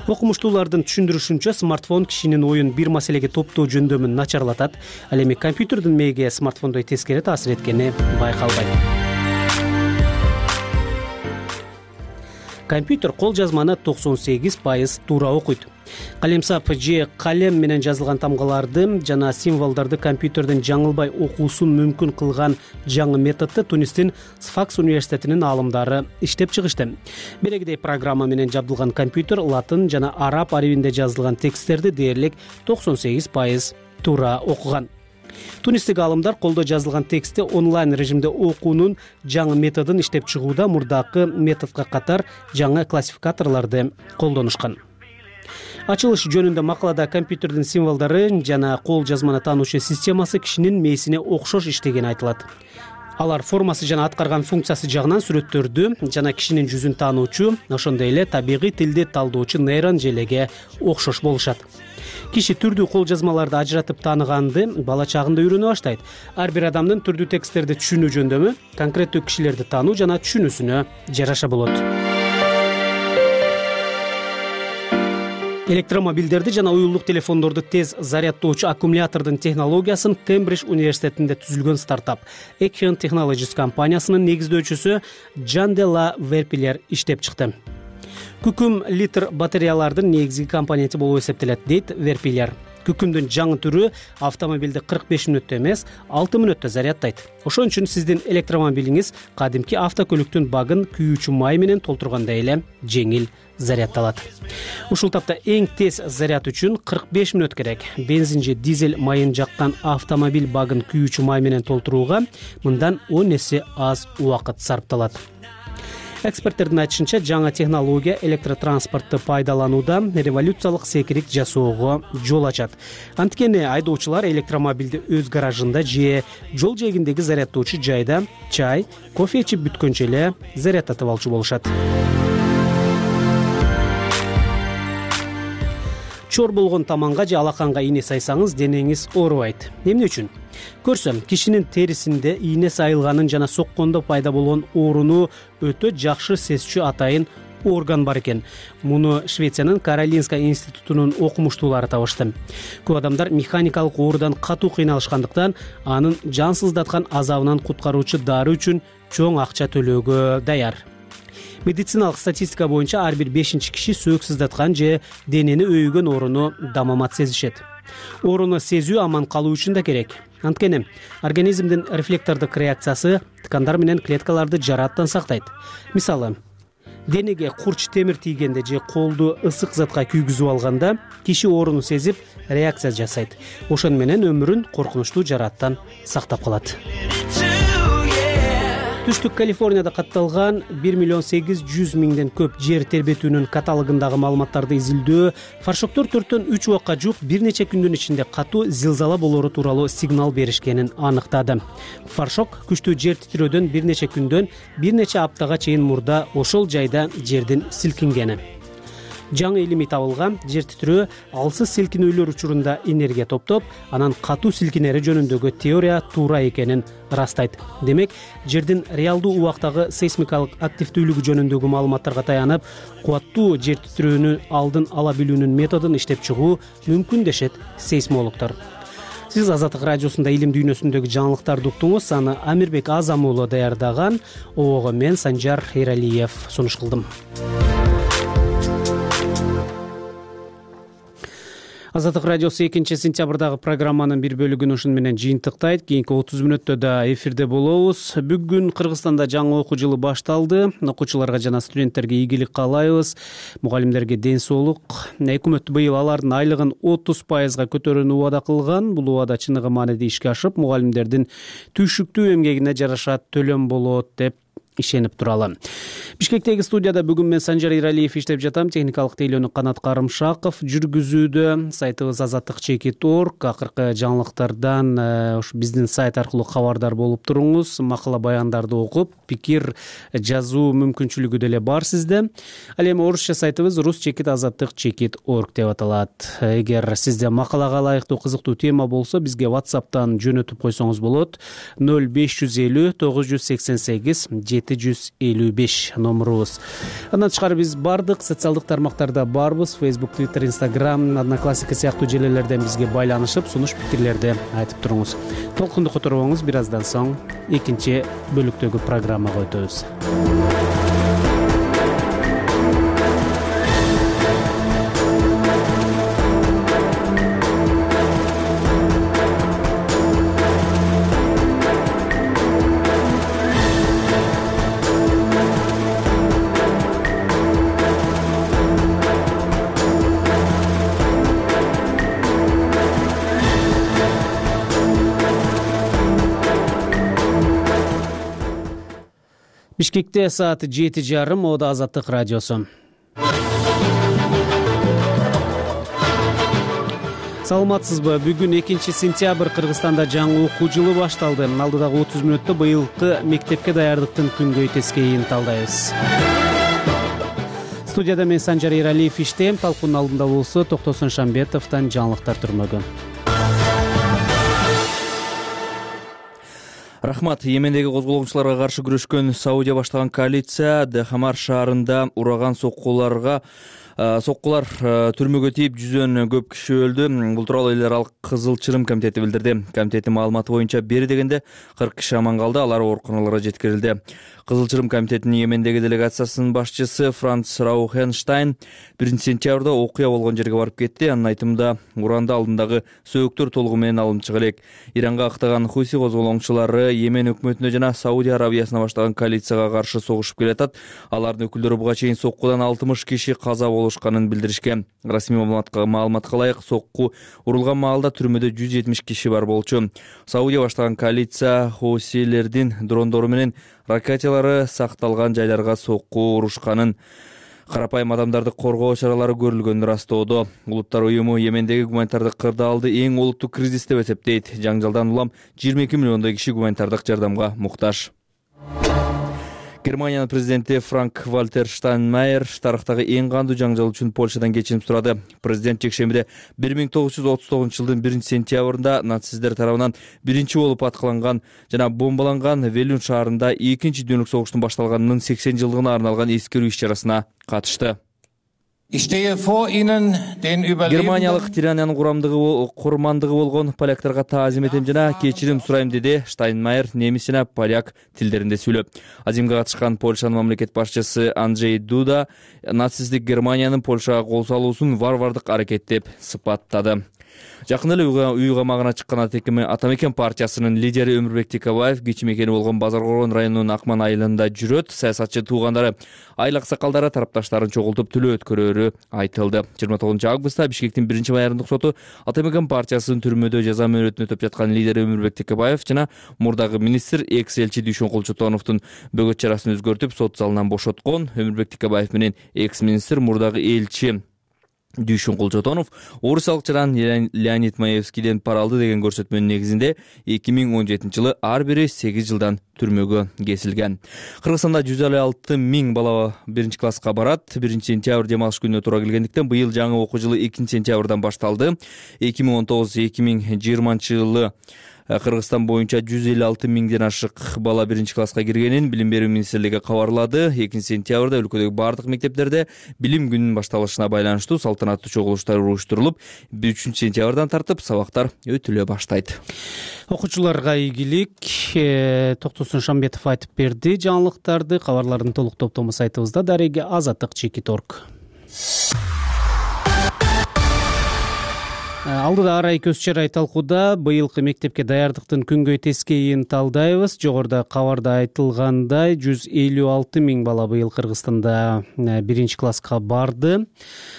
Окумуштуулардын түшүндүрүшүнчө, смартфон кишинин оюн бир маселеге топтоо жөндөмүн начарлатат. Ал эми компьютердин мээге смартфондой тескери таасир эткени байкалбайт. Компьютер кол жазманы токсон сегиз пайыз туура окуйт. Калемсап же калем менен жазылган тамгаларды жана символдорду компьютердин жаңылбай окуусун мүмкүн кылган жаңы методду Тунистин Сфакс университетинин аалымдары иштеп чыгышты. Белегидей программа менен жабдылган компьютер латын жана араб арибинде жазылган тексттерди дээрлик токсон сегиз пайыз туура окуган. Тунистик аалымдар колдо жазылган текстти онлайн режимде окуунун жаңы методун иштеп чыгууда мурдакы методго катар жаңы классификаторлорду колдонушкан. Ачылыш жөнүндө макалада компьютердин символдору жана кол жазманы таануучу системасы кишинин мээсине окшош иштегени айтылат. Алар формасы жана аткарган функциясы жагынан сүрөттөрдү жана кишинин жүзүн таануучу, ошондой эле табигый тилди талдоочу нейрон желеге окшош болушат. Киши түрдүү кол жазмаларды ажыратып тааныганды бала чагында үйрөнө баштайт. Ар бир адамдын түрдүү тексттерди түшүнүү жөндөмү конкреттүү кишилерди таануу жана түшүнүүсүнө жараша болот. Электромобилдерди жана уюлдук телефондорду тез зарядтоочу аккумулятордун технологиясын Кембридж университетинде түзүлгөн стартап Ekion Technologies компаниясынын негиздөөчүсү Жан де ла Верпилер иштеп чыкты. Күкүм литр батареялардын негизги компоненти болуп эсептелет, дейт Верпилер. Күкүмдүн жаңы түрү автомобилди кырк беш мүнөттө эмес, алты мүнөттө зарядтайт. Ошон үчүн сиздин электромобилиңиз кадимки автокөлүктүн багын күйүүчү май менен толтургандай эле жеңил зарядталат. Ушул тапта эң тез заряд үчүн кырк беш мүнөт керек. Бензин же дизель майын жаккан автомобиль багын күйүүчү май менен толтурууга мындан он эсе аз убакыт сарпталат. Эксперттердин айтышынча, жаңы технология электротранспортты пайдаланууда революциялык секирик жасоого жол ачат. Анткени айдоочулар электромобилди өз гаражында же жол жээгиндеги зарядтоочу жайда чай, кофе ичип бүткөнчө эле зарядтатып алчу болушат. Чор болгон таманга же алаканга ийне сайсаңыз денеңиз оорубайт. Эмне үчүн? Көрсөм, кишинин терисинде ийне сайылганын жана соккондо пайда болгон ооруну өтө жакшы сезчү атайын орган бар экен. Муну Швециянын Каролинска институтунун окумуштуулары табышты. Көп адамдар механикалык оорудан катуу кыйналышкандыктан анын жансыздаткан азабынан куткаруучу дары үчүн чоң акча төлөөгө даяр. Медициналык статистика боюнча ар бир бешинчи киши сөөк сыздаткан же денени өйгөн ооруну дамамат сезишет. Ооруну сезүү аман калуу үчүн да керек. Анткени организмдин рефлектордук реакциясы ткандар менен клеткаларды жараттан сактайт. Мисалы, денеге курч темир тийгенде же колду ысык затка күйгүзүп алганда киши ооруну сезип реакция жасайт. Ошон менен өмүрүн коркунучтуу жараттан сактап калат. Түштүк Калифорнияда катталган бир миллион сегиз жүз миңден көп жер тербетүүнүн каталогундагы маалыматтарды изилдөө фаршоктор төрттөн үч убакка жууп бир нече күндүн ичинде катуу зилзала болоору тууралуу сигнал беришкенин аныктады. Фаршок күчтүү жер титирөөдөн бир нече күндөн бир нече аптага чейин мурда ошол жайда жердин силкингени. Жаңы илимий табылган жер титирөө алсыз силкинүүлөр учурунда энергия топтоп, анан катуу силкинери жөнүндөгү теория туура экенин ырастайт. Демек, жердин реалдуу убактагы сейсмикалык активдүүлүгү жөнүндөгү маалыматтарга таянып, кубаттуу жер титирөөнү алдын ала билүүнүн методун иштеп чыгуу мүмкүн дешет сейсмологдор. Сиз Азаттык радиосунда илим дүйнөсүндөгү жаңылыктарды уктуңуз. Аны Амирбек Азам уулу даярдаган. Обого мен Санжар Эралиев сунуш кылдым. Азаттык радиосу экинчи сентябрдагы программанын бир бөлүгүн ушун менен жыйынтыктайт. Кийинки отуз мүнөттө да эфирде болобуз. Бүгүн Кыргызстанда жаңы окуу жылы башталды. Окуучуларга жана студенттерге ийгилик каалайбыз. Мугалимдерге ден соолук. Өкмөт быйыл алардын айлыгын отуз пайызга көтөрүүнү убада кылган. Бул убада чыныгы мааниде ишке ашып, мугалимдердин түйшүктүү эмгегине жараша төлөм болот деп ишенип туралы. Бишкектеги студияда бүгүн мен Санжар Эралиев иштеп жатам. Техникалык тейлөөнү Канат Карымшаков жүргүзүүдө. Сайтыбыз азаттык чекит точка орг. Акыркы жаңылыктардан ушу биздин сайт аркылуу кабардар болуп туруңуз. Макала баяндарды окуп, пикир жазуу мүмкүнчүлүгү деле бар сизде. Ал эми орусча сайтыбыз рус чекит азаттык чекит точка орг деп аталат. Эгер сизде макалага ылайыктуу кызыктуу тема болсо, бизге WhatsApp'тан жөнөтүп койсоңуз болот. ноль беш жүз элүү тогуз жүз сексен сегиз жетимиш жети жүз элүү беш номурубуз. Андан тышкары биз бардык социалдык тармактарда барбыз. Facebook, Twitter, Instagram, Одноклассники сыяктуу желелерден бизге байланышып, сунуш пикирлерди айтып туруңуз. Толкунду которбоңуз, бир аздан соң экинчи бөлүктөгү программага өтөбүз. Бишкекте сааты жети жарым, Ода Азаттык радиосу. Саламатсызбы? Бүгүн экинчи сентябрь, Кыргызстанда жаңы окуу жылы башталды. Алдыдагы отуз мүнөттө быйылкы мектепке даярдыктын күнгөй тескейин талдайбыз. Студияда мен Санжар Эралиев иштейм. Талкуунун алдында болсо Токтосун Шамбетовдон жаңылыктар түрмөгү. Рахмат. Йемендеги козголоңчуларга каршы күрөшкөн Саудия баштаган коалиция Дахамар шаарында ураган соккуларга соккулар түрмөгө тийип жүздөн көп киши өлдү. Бул тууралуу эл аралык Кызыл Чырым комитети билдирди. Комитеттин маалыматы боюнча бери дегенде кырк киши аман калды, алар ооруканаларга жеткирилди. Кызыл Чырым комитетинин Йемендеги делегациясынын башчысы Франц Раухенштайн биринчи сентябрда окуя болгон жерге барып кетти. Анын айтымында уранда алдындагы сөөктөр толугу менен алынчык элек. Иранга ыктаган Хуси козголоңчулары Йемен өкмөтүнө жана Саудия Арабиясына баштаган коалицияга каршы согушуп келатат. Алардын өкүлдөрү буга чейин соккудан алтымыш киши каза болушканын билдиришкен. Расмий маалыматка ылайык, сокку урулган маалда түрмөдө жүз жетимиш киши бар болчу. Саудия баштаган коалиция Хусилердин дрондору менен ракеталары сакталган жайларга сокку урушканын, карапайым адамдарды коргоо чаралары көрүлгөнүн ырастоодо. Улуттар уюму Йемендеги гуманитардык кырдаалды эң олуттуу кризис деп эсептейт. Жаңжалдан улам жыйырма эки миллиондой киши гуманитардык жардамга муктаж. Германиянын президенти Франк Вальтер Штайнмайер тарыхтагы эң кандуу жаңжал үчүн Польшадан кечирим сурады. Президент жекшембиде бир миң тогуз жүз отуз тогузунчу жылдын биринчи сентябрында нацисттер тарабынан биринчи болуп аткыланган жана бомбаланган Велюн шаарында экинчи дүйнөлүк согуштун башталганынын сексен жылдыгына арналган эскерүү иш-чарасына катышты. Германиялык тираниянын курамдыгы курмандыгы болгон поляктарга таазим этем жана кечирим сурайм, деди Штайнмайер немис жана поляк тилдеринде сүйлөп. Азимге катышкан Польшанын мамлекет башчысы Анджей Дуда нацисттик Германиянын Польшага кол салуусун варвардык аракет деп сыпаттады. Жакын эле үй камагына чыккан Атамекен партиясынын лидери Өмүрбек Текебаев кичи мекени болгон Базар Коргон районунун Акман айылында жүрөт. Саясатчы туугандары айыл аксакалдары тарапташтарын чогултуп тилөө өткөрөөрү айтылды. жыйырма тогузунчу августта Бишкектин биринчи майордук соту Атамекен партиясынын түрмөдө жаза мөөнөтүн өтөп жаткан лидери Өмүрбек Текебаев жана мурдагы министр экс элчи Дүйшөн Кулчутоновдун бөгөт чарасын өзгөртүп сот залынан бошоткон. Өмүрбек Текебаев менен экс министр мурдагы элчи Дүйшөн Кулчутонов орусиялык жаран Леонид Маевскийден пара алды деген көрсөтмөнүн негизинде эки миң он жетинчи жылы ар бири сегиз жылдан түрмөгө кесилген. Кыргызстанда жүз элүү алты миң бала биринчи класска барат. биринчи сентябрь демалыш күнүнө туура келгендиктен быйыл жаңы окуу жылы экинчи сентябрдан башталды. эки миң он тогуз эки миң жыйырманчы жылы Кыргызстан боюнча жүз элүү алты миңден ашык бала биринчи класска киргенин Билим берүү министрлиги кабарлады. экинчи сентябрда өлкөдөгү бардык мектептерде билим күнүнүн башталышына байланыштуу салтанаттуу чогулуштар уюштурулуп, үчүнчү сентябрдан тартып сабактар өтүлө баштайт. Окуучуларга ийгилик. Токтосун Шамбетов айтып берди жаңылыктарды. Кабарлардын толук топтому сайтыбызда. Дареги Азаттык чекит точка орг. Алдыда арай көз чарай талкууда быйылкы мектепке даярдыктын күнгөй тескейин талдайбыз. Жогоруда кабарда айтылгандай жүз элүү алты миң бала быйыл Кыргызстанда биринчи класска барды.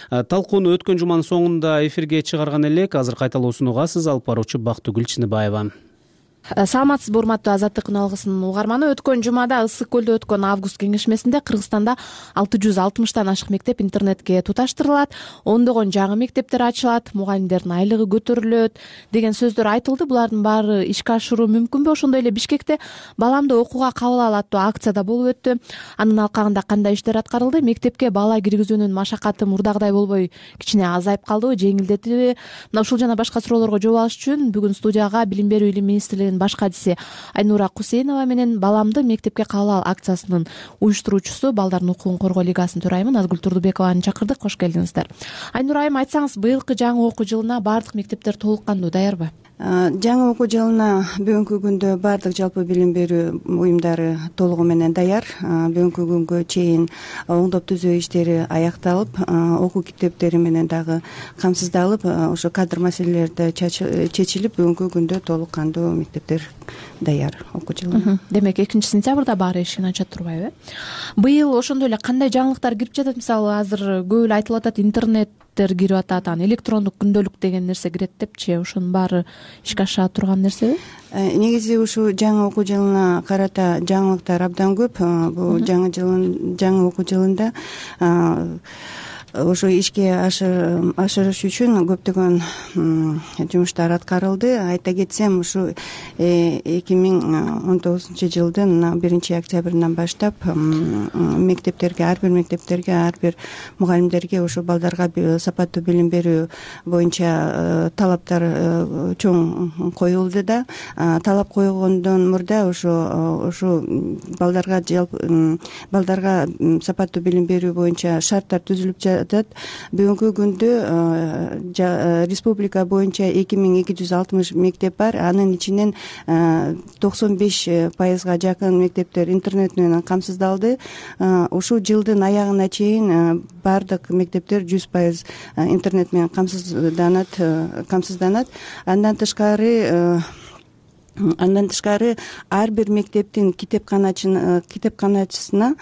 Талкууну өткөн жуманын соңунда эфирге чыгарган элек. Азыр кайталоосун угасыз. Алып баруучу Бактыгүл Чыныбаева. Саламатсызбы урматтуу Азаттык үналгысынын угарманы. Өткөн жумада Ысык көлдө өткөн август кеңешмесинде Кыргызстанда алты жүз алтымыштан ашык мектеп интернетке туташтырылат, ондогон жаңы мектептер ачылат, мугалимдердин айлыгы көтөрүлөт деген сөздөр айтылды. Булардын баары ишке ашыруу мүмкүнбү? Ошондой эле Бишкекте баламды окууга кабыл ал аттуу акцияда болуп өттү. Анын алкагында кандай иштер аткарылды? Мектепке бала киргизүүнүн машакаты мурдагыдай болбой кичине азайып калдыбы, жеңилдетилби? Мына ушул жана башка суроолорго жооп алыш үчүн бүгүн студияга Билим берүү илим министрлигинин деген баш кадиси Айнура Кусейнова менен баламды мектепке кабыл ал акциясынын уюштуруучусу Балдардын укугун коргоо лигасынын төрайымы Назгүл Турдубекованы чакырдык. Кош келдиңиздер. Айнура айым, айтсаңыз, быйылкы жаңы окуу жылына баардык мектептер толук кандуу даярбы? Жаңы окуу жылына бүгүнкү күндө баардык жалпы билим берүү уюмдары толугу менен даяр. Бүгүнкү күнгө чейин оңдоп түзөө иштери аякталып, окуу китептери менен дагы камсыздалып, ошо кадр маселелери да чечилип, бүгүнкү күндө толук кандуу мектептер даяр окуу жылына. Демек экинчи сентябрда баары эшигин ача турбайбы? Быйыл ошондой эле кандай жаңылыктар кирип жатат? Мисалы, азыр көп эле айтылып атат, интернеттер кирип атат, анан электрондук күндөлүк деген нерсе кирет депчи. Ошонун баары ишке аша турган нерсеби? Негизи ушул жаңы окуу жылына карата жаңылыктар абдан көп. Бул жаңы жылын жаңы окуу жылында ошо ишке ашырыш үчүн көптөгөн жумуштар аткарылды. Айта кетсем, ушу эки миң он тогузунчу жылдын биринчи октябрынан баштап мектептерге, ар бир мектептерге, ар бир мугалимдерге ошо балдарга сапаттуу билим берүү боюнча талаптар чоң коюлду да. Талап койгондон мурда ошо ошо балдарга жалпы балдарга сапаттуу билим берүү боюнча шарттар түзүлүп, бүгүнкү күндө республика боюнча эки миң эки жүз алтымыш мектеп бар. Анын ичинен токсон беш пайызга жакын мектептер интернет менен камсыздалды. Ушул жылдын аягына чейин баардык мектептер жүз пайыз интернет менен камсызданат камсызданат. Андан тышкары Андан тышкары ар бир мектептин китепканачысына китепканачысына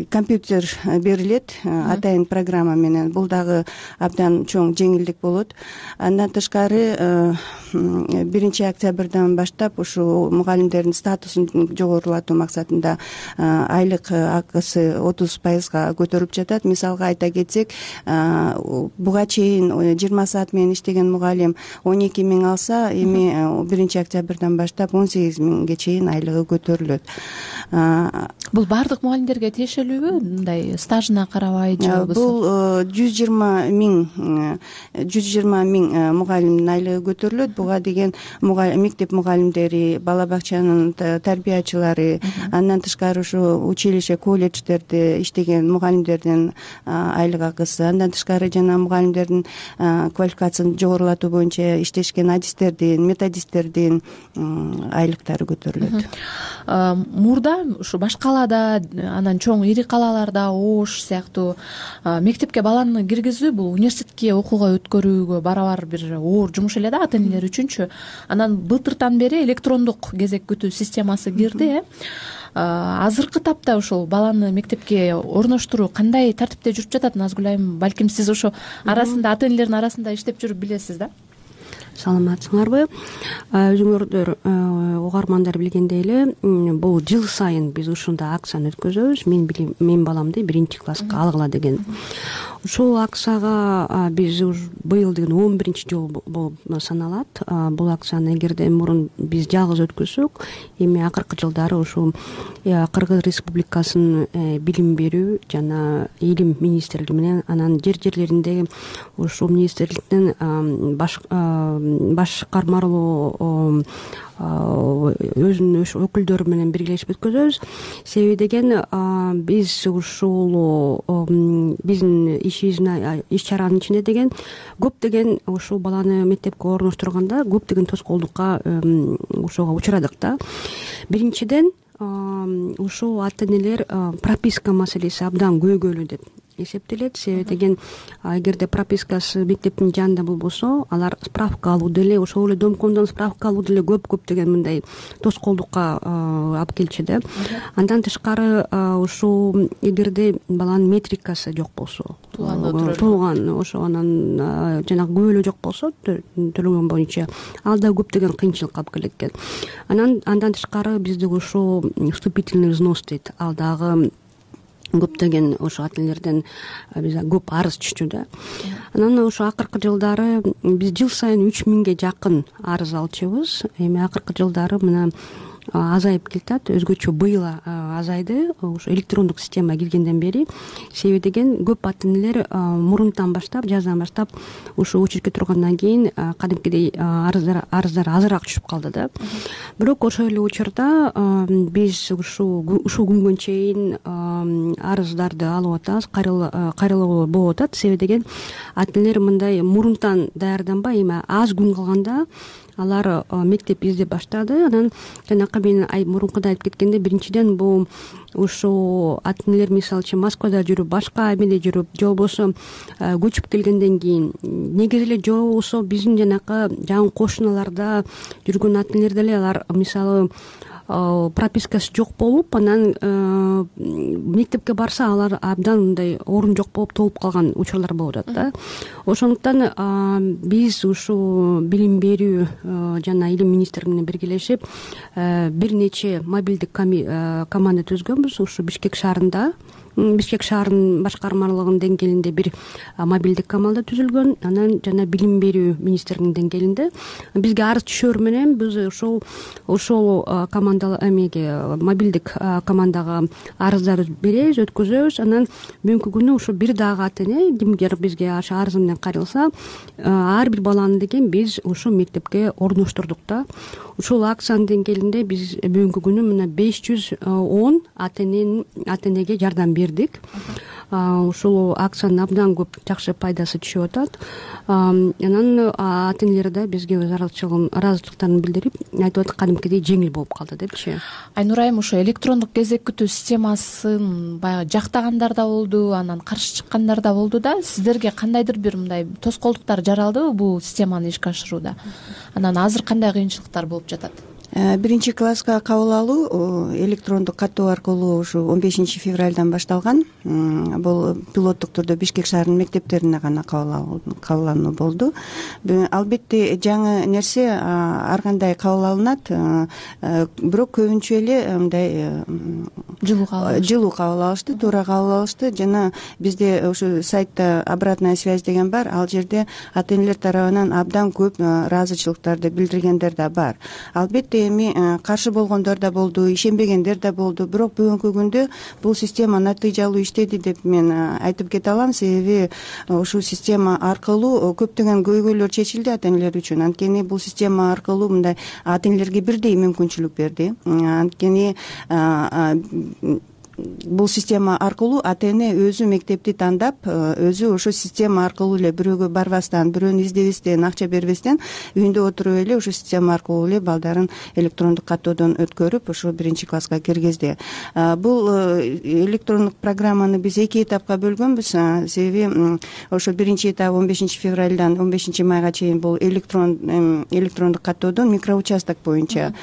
компьютер берилет, атайын программа менен. Бул дагы абдан чоң жеңилдик болот. Андан тышкары биринчи октябрдан баштап ушу мугалимдердин статусун жогорулатуу максатында айлык акысы отуз пайызга көтөрүлүп жатат. Мисалга айта кетсек, буга чейин жыйырма саат менен иштеген мугалим он эки миң алса, эми биринчи октябрдан баштап он сегиз миңге чейин айлыгы көтөрүлөт. Бул баардык мугалимдерге тиешелүүбү? Мындай стажына карабай же болбосо? Бул жүз жыйырма миң жүз жыйырма миң мугалимдин айлыгы көтөрүлөт. Буга деген мектеп мугалимдери, бала бакчанын тарбиячылары, андан тышкары ушу училище, колледждерде иштеген мугалимдердин айлык акысы, андан тышкары жана мугалимдердин квалификациясын жогорулатуу боюнча иштешкен адистердин, методисттердин айлыктары көтөрүлөт. Мурда ушу баш калаада, анан чоң ири калаларда, Ош сыяктуу мектепке баланы киргизүү бул университетке окууга өткөрүүгө барабар бир оор жумуш эле да, ата-энелер үчүнчү. Анан былтыртан бери электрондук кезек күтүү системасы кирди. Азыркы тапта ошол баланы мектепке орноштуруу кандай тартипте жүрүп жатат? Назгүл айым, балким сиз ошо арасында, ата-энелердин арасында иштеп жүрүп билесиз да? Саламатсыңарбы? Өзүңөрдөр угармандар билгендей эле, бул жыл сайын биз ушундай акцияны өткөзөбүз. Мен мен баламды биринчи класска алгыла деген. Ушул акцияга биз быйыл деген он биринчи жол болуп саналат. Бул акцияны эгерде мурун биз жалгыз өткөзсөк, эми акыркы жылдары ушул Кыргыз Республикасынын билим берүү жана илим министрлиги менен, анан жер жерлеринде ушул министрликтин баш башкармалуу өзүнүн өкүлдөрү менен биргелешип өткөзөбүз. Себеби деген биз ушул биздин ишибиздин иш чаранын ичинде деген көптөгөн ушул баланы мектепке орноштурганда көптөгөн тоскоолдукка ошого учурадык да. Биринчиден ушул ата-энелер прописка маселеси абдан көйгөйлүү деп эсептелет. Себеби деген эгерде пропискасы мектептин жанында болбосо, алар справка алуу деле, ошол эле домкомдон справка алуу деле көп көптөгөн мындай тоскоолдукка алып келчү да. Андан тышкары ушул эгерде баланын метрикасы жок болсо, туулган ошо анан жанагы күбөлөө жок болсо төлөгөн боюнча, ал да көптөгөн кыйынчылыкка алып келет экен. Анан андан тышкары бизде ушул вступительный взнос дейт, ал дагы көптөгөн ошо ата-энелерден биз көп арыз түштү да. Анан ошо акыркы жылдары биз жыл сайын үч миңге жакын арыз алчубуз. Эми акыркы жылдары мына азайып келатат, өзгөчө быйыл азайды ошо электрондук система киргенден бери. Себеби деген көп ата энелер мурунтан баштап, жаздан баштап ошо очередке тургандан кийин кадимкидей арыздар арыздар азыраак түшүп калды да. Бирок ошол эле учурда биз ушул ушул күнгө чейин арыздарды алып атабыз, кайрылуу болуп атат. Себеби деген ата энелер мындай мурунтан даярданбай, эми аз күн калганда алар мектеп издеп баштады. Анан жанакы мен мурункуда айтып кеткенде, биринчиден бул ушул ата энелер мисалы үчүн Москвада жүрүп, башка эмеде жүрүп, же болбосо көчүп келгенден кийин, негизи эле же болбосо биздин жанакы жакын кошуналарда жүргөн ата энелер деле алар мисалы пропискасы жок болуп, анан мектепке барса алар абдан мындай орун жок болуп толуп калган учурлар болуп атат да. Ошондуктан биз ушул билим берүү жана илим министрлиги менен биргелешип бир нече мобилдик команда түзгөнбүз. Ушу Бишкек шаарында, Бишкек шаарынын башкармалыгынын деңгээлинде бир мобилдик команда түзүлгөн. Анан жана билим берүү министрлигинин деңгээлинде бизге арыз түшөр менен биз ошол ошол команда эмеге мобилдик командага арыздар беребиз, өткөзөбүз. Анан бүгүнкү күнү ушу бир дагы ата эне кимдир бизге ошо арызы менен кайрылса, ар бир баланы деген биз ушул мектепке орноштурдук да. Ушул акциянын деңгээлинде биз бүгүнкү күнү мына беш жүз он ата эненин ата энеге жардам бердик. Ушул акциянын абдан көп жакшы пайдасы түшүп атат. Анан ата энелер да бизге өз ыраазычылыктарын билдирип айтып атат, кадимкидей жеңил болуп калды депчи. Айнур айым, ошо электрондук кезек күтүү системасын баягы жактагандар да болду, анан каршы чыккандар да болду да. Сиздерге кандайдыр бир мындай тоскоолдуктар жаралдыбы бул системаны ишке ашырууда? Анан азыр кандай кыйынчылыктар болуп жатат? Биринчи класска кабыл алуу электрондук каттоо аркылуу ушу он бешинчи февралдан башталган. Бул пилоттук түрдө Бишкек шаарынын мектептерине гана кабыл алуу болду. Албетте жаңы нерсе ар кандай кабыл алынат, бирок көбүнчө эле мындай жылуу кабыл алышты, туура кабыл алышты. Жана бизде ушу сайтта обратная связь деген бар. Ал жерде ата энелер тарабынан абдан көп ыраазычылыктарды билдиргендер да бар. Албетте эми каршы болгондор да болду, ишенбегендер да болду. Бирок бүгүнкү күндө бул система натыйжалуу иштеди деп мен айтып кете алам. Себеби ушул система аркылуу көптөгөн көйгөйлөр чечилди ата энелер үчүн. Анткени бул система аркылуу мындай ата энелерге бирдей мүмкүнчүлүк берди. Анткени бул система аркылуу ата эне өзү мектепти тандап, өзү ошо система аркылуу эле бирөөгө барбастан, бирөөнү издебестен, акча бербестен үйүндө отуруп эле ошо система аркылуу эле балдарын электрондук каттоодон өткөрүп, ошо биринчи класска киргизди. Бул электрондук программаны биз эки этапка бөлгөнбүз. Себеби ошо биринчи этап он бешинчи февралдан он бешинчи майга чейин бул электрон электрондук каттоодон микроучасток боюнча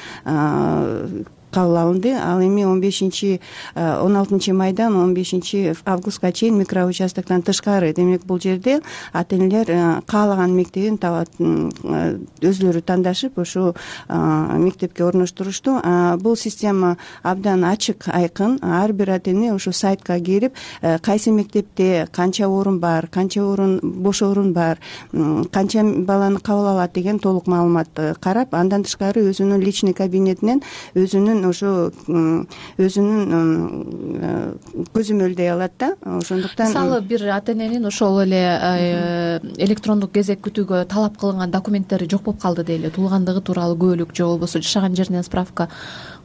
кабыл алынды. Ал эми он бешинчи он алтынчы майдан он бешинчи августка чейин микроучастоктон тышкары. Демек бул жерде ата энелер каалаган мектебин табат, өзлөрү тандашып ошо мектепке орноштурушту. Бул система абдан ачык, айкын. Ар бир ата эне ошо сайтка кирип, кайсы мектепте канча орун бар, канча орун бош орун бар, канча баланы кабыл алат деген толук маалыматты карап, андан тышкары өзүнүн личный кабинетинен өзүнүн ошо өзүнүн көзөмөлдөй алат да. Ошондуктан мисалы бир ата эненин ошол эле электрондук кезек күтүүгө талап кылынган документтери жок болуп калды дейли, туулгандыгы тууралуу куөлүк же болбосо жашаган жеринен справка.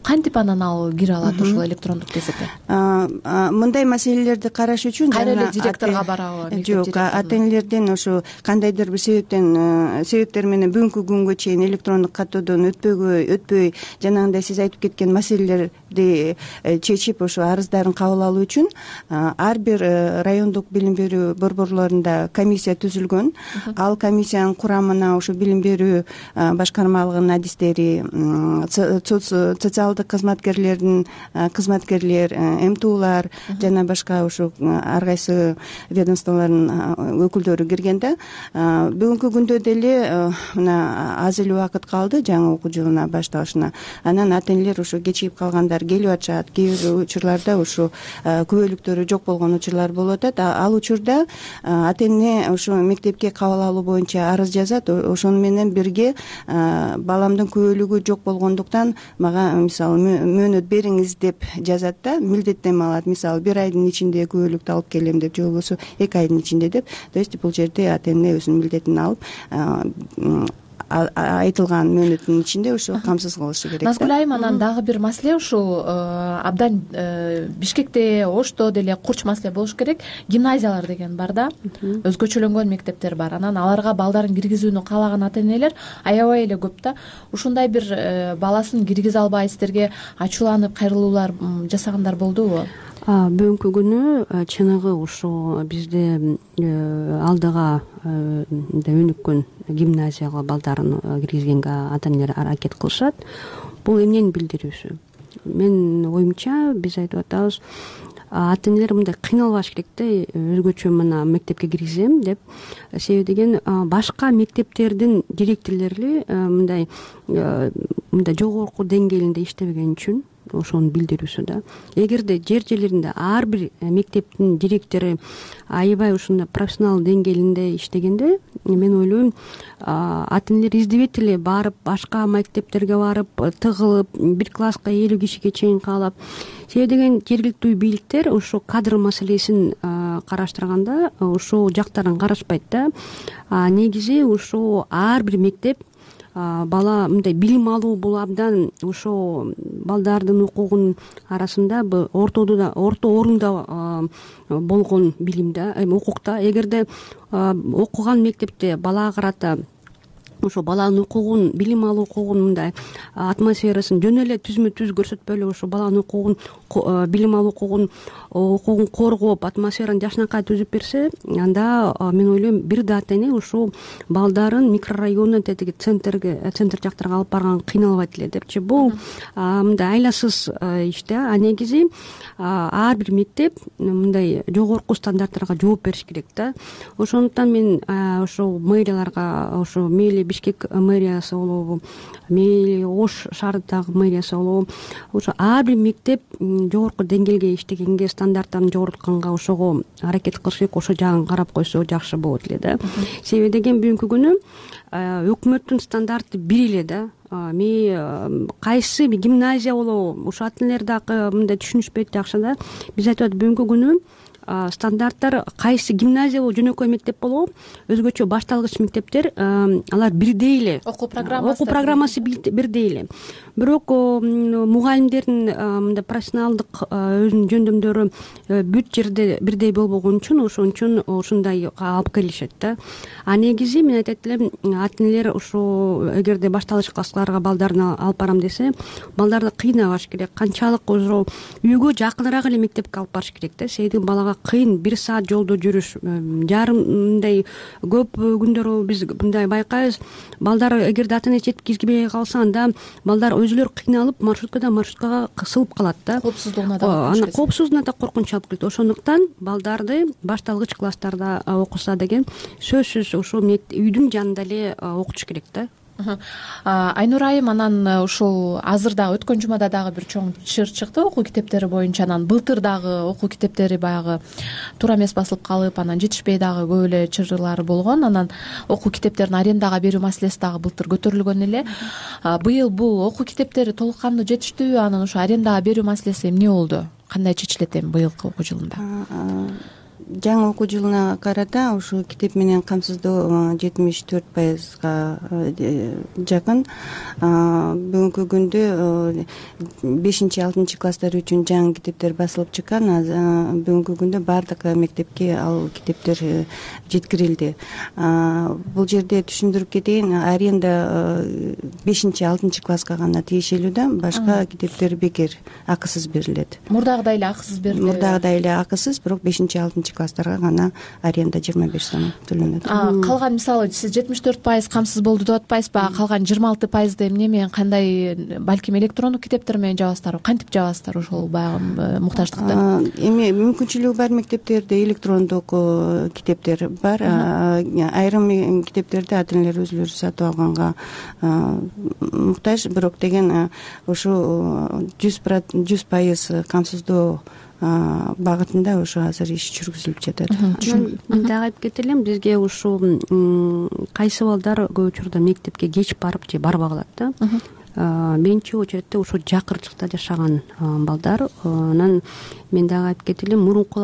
Кантип анан ал кире алат ошол электрондук кезекке? Мындай маселелерди караш үчүн кайра эле директорго барабы? Жок, ата энелерден ошо кандайдыр бир себептен себептер менен бүгүнкү күнгө чейин электрондук каттоодон өтпөгөй өтпөй жанагындай сиз айтып кеткен маселелерди чечип ошо арыздарын кабыл алуу үчүн ар бир райондук билим берүү борборлорунда комиссия түзүлгөн. Ал комиссиянын курамына ошо билим берүү башкармалыгынын адистери, социалдык кызматкерлердин кызматкерлер, эмтуулар жана башка ошо ар кайсы ведомстволордун өкүлдөрү кирген да. Бүгүнкү күндө деле мына аз эле убакыт калды жаңы окуу жылына башталышына. Анан ата энелер ошо кечигип калгандар учурлар келип атышат, кээ бир учурларда ушу күбөлүктөрү жок болгон учурлар болуп атат. Ал учурда ата эне ушу мектепке кабыл алуу боюнча арыз жазат, ошону менен бирге баламдын күбөлүгү жок болгондуктан мага мисалы мөөнөт бериңиз деп жазат да, милдеттенме алат. Мисалы бир айдын ичинде күбөлүктү алып келем деп, же болбосо эки айдын ичинде деп. То есть бул жерде ата эне өзүнүн милдетин алып айтылган мөөнөттүн ичинде ошо камсыз кылышы керек. Назгүл айым, анан дагы бир маселе ушул абдан Бишкекте, Ошто деле курч маселе болуш керек. Гимназиялар деген бар да, өзгөчөлөнгөн мектептер бар. Анан аларга балдарын киргизүүнү каалаган ата энелер аябай эле көп да. Ушундай бир баласын киргизе албай сиздерге ачууланып кайрылуулар жасагандар болдубу? Бүгүнкү күнү чыныгы ушу бизде алдыга өнүккөн гимназияга балдарын киргизгенге ата энелер аракет кылышат. Бул эмнени билдирүүсү? Менин оюмча биз айтып атабыз, ата энелер мындай кыйналбаш керек да, өзгөчө мына мектепке киргизем деп. Себеби деген башка мектептердин директорлори мындай мындай жогорку деңгээлинде иштебеген үчүн ошону билдирүүсү да. Эгерде жер жерлеринде ар бир мектептин директору аябай ушундай профессионал деңгээлинде иштегенде, мен ойлойм, ата энелер издебейт эле барып, башка мектептерге барып, тыгылып, бир класска элүү кишиге чейин каалап. Себеби деген жергиликтүү бийликтер ошо кадр маселесин караштырганда ошол жактарын карашпайт да. Негизи ошо ар бир мектеп бала мындай билим алуу бул абдан ошо балдардын укугунун арасында ортодо да орто орунда болгон билим да, эми укукта. Эгерде окуган мектепте балага карата ошо баланын укугун, билим алуу укугун мындай атмосферасын жөн эле түзмө түз көрсөтпөй эле ошо баланын укугун, билим алуу укугун укугун коргоп, атмосфераны жакшынакай түзүп берсе, анда мен ойлойм бир да ата эне ошо балдарын микрорайондон тетиги центрге, центр жактарга алып барган кыйналбайт эле депчи. Бул мындай айласыз иш да. А негизи ар бир мектеп мындай жогорку стандарттарга жооп бериш керек да. Ошондуктан мен ошо мэрияларга, ошо мейли Бишкек мэриясы болобу, мейли Ош шаарындагы мэриясы болобу, ошо ар бир мектеп жогорку деңгээлге иштегенге, стандарттарын жогортканга ошого аракет кылыш керек. Ошо жагын карап койсо жакшы болот эле да. Себеби деген бүгүнкү күнү өкмөттүн стандарты бир эле да. Мен кайсы гимназия болобу, ошо ата энелер дагы мындай түшүнүшпөйт жакшы да. Биз айтып атат, бүгүнкү күнү стандарттар кайсы гимназия болобу, жөнөкөй мектеп болобу, өзгөчө башталгыч мектептер алар бирдей эле. Окуу программасы окуу программасы бирдей эле. Бирок мугалимдердин мындай профессионалдык өзүнүн жөндөмдөрү бүт жерде бирдей болбогон үчүн ошон үчүн ушундай алып келишет да. А негизи мен айтат элем, ата энелер ошо эгерде башталгыч классларга балдарын алып барам десе, балдарды кыйнабаш керек. Канчалык ошо үйгө жакыныраак эле мектепке алып барыш керек да. Себеби балага кыйын, бир саат жолдо жүрүш, жарым мындай көп күндөр биз мындай байкайбыз. Балдар эгерде ата эне жеткизбей калса, анда балдар өзүлөрү кыйналып маршруткадан маршруткага кысылып калат да. Коопсуздугуна да ана коопсуздугуна да коркунуч алып келет. Ошондуктан балдарды башталгыч класстарда окуса деген сөзсүз ошо үйдүн жанында эле окутуш керек да. Айнура айым, анан ушул азыр дагы өткөн жумада дагы бир чоң чыр чыкты окуу китептери боюнча. Анан былтыр дагы окуу китептери баягы туура эмес басылып калып, анан жетишпей дагы көп эле чырлар болгон. Анан окуу китептерин арендага берүү маселеси дагы былтыр көтөрүлгөн эле. Быйыл бул окуу китептери толук кандуу жетиштүүбү? Анан ошо арендага берүү маселеси эмне болду? Кандай чечилет эми быйылкы окуу жылында? Жаңы окуу жылына карата ушу китеп менен камсыздоо жетимиш төрт пайызга жакын. Бүгүнкү күндө бешинчи алтынчы класстар үчүн жаңы китептер басылып чыккан. Бүгүнкү күндө баардык мектепке ал китептер жеткирилди. Бул жерде түшүндүрүп кетейин, аренда бешинчи алтынчы класска гана тиешелүү да, башка китептер бекер, акысыз берилет. Мурдагыдай эле акысыз берилет. Мурдагыдай эле акысыз, бирок бешинчи алтынчы биринчи класстарга гана аренда жыйырма беш сом төлөнөт. Калган мисалы сиз жетимиш төрт пайыз камсыз болду деп атпайсызбы? Калган жыйырма алты пайызды эмне менен, кандай, балким электрондук китептер менен жабасыздарбы? Кантип жабасыздар ошол баягы муктаждыкты? Эми мүмкүнчүлүгү бар мектептерде электрондук китептер бар. Айрым китептерди ата энелер өзүлөрү сатып алганга муктаж, бирок деген ошо жүз пайыз камсыздоо багытында ошо азыр иш жүргүзүлүп жатат. Мен дагы айтып кете элем, бизге ушул кайсы балдар көп учурда мектепке кеч барып же барбай калат да. Биринчи очередте ошо жакырчыкта жашаган балдар. Анан мен дагы айтып кете элем, мурунку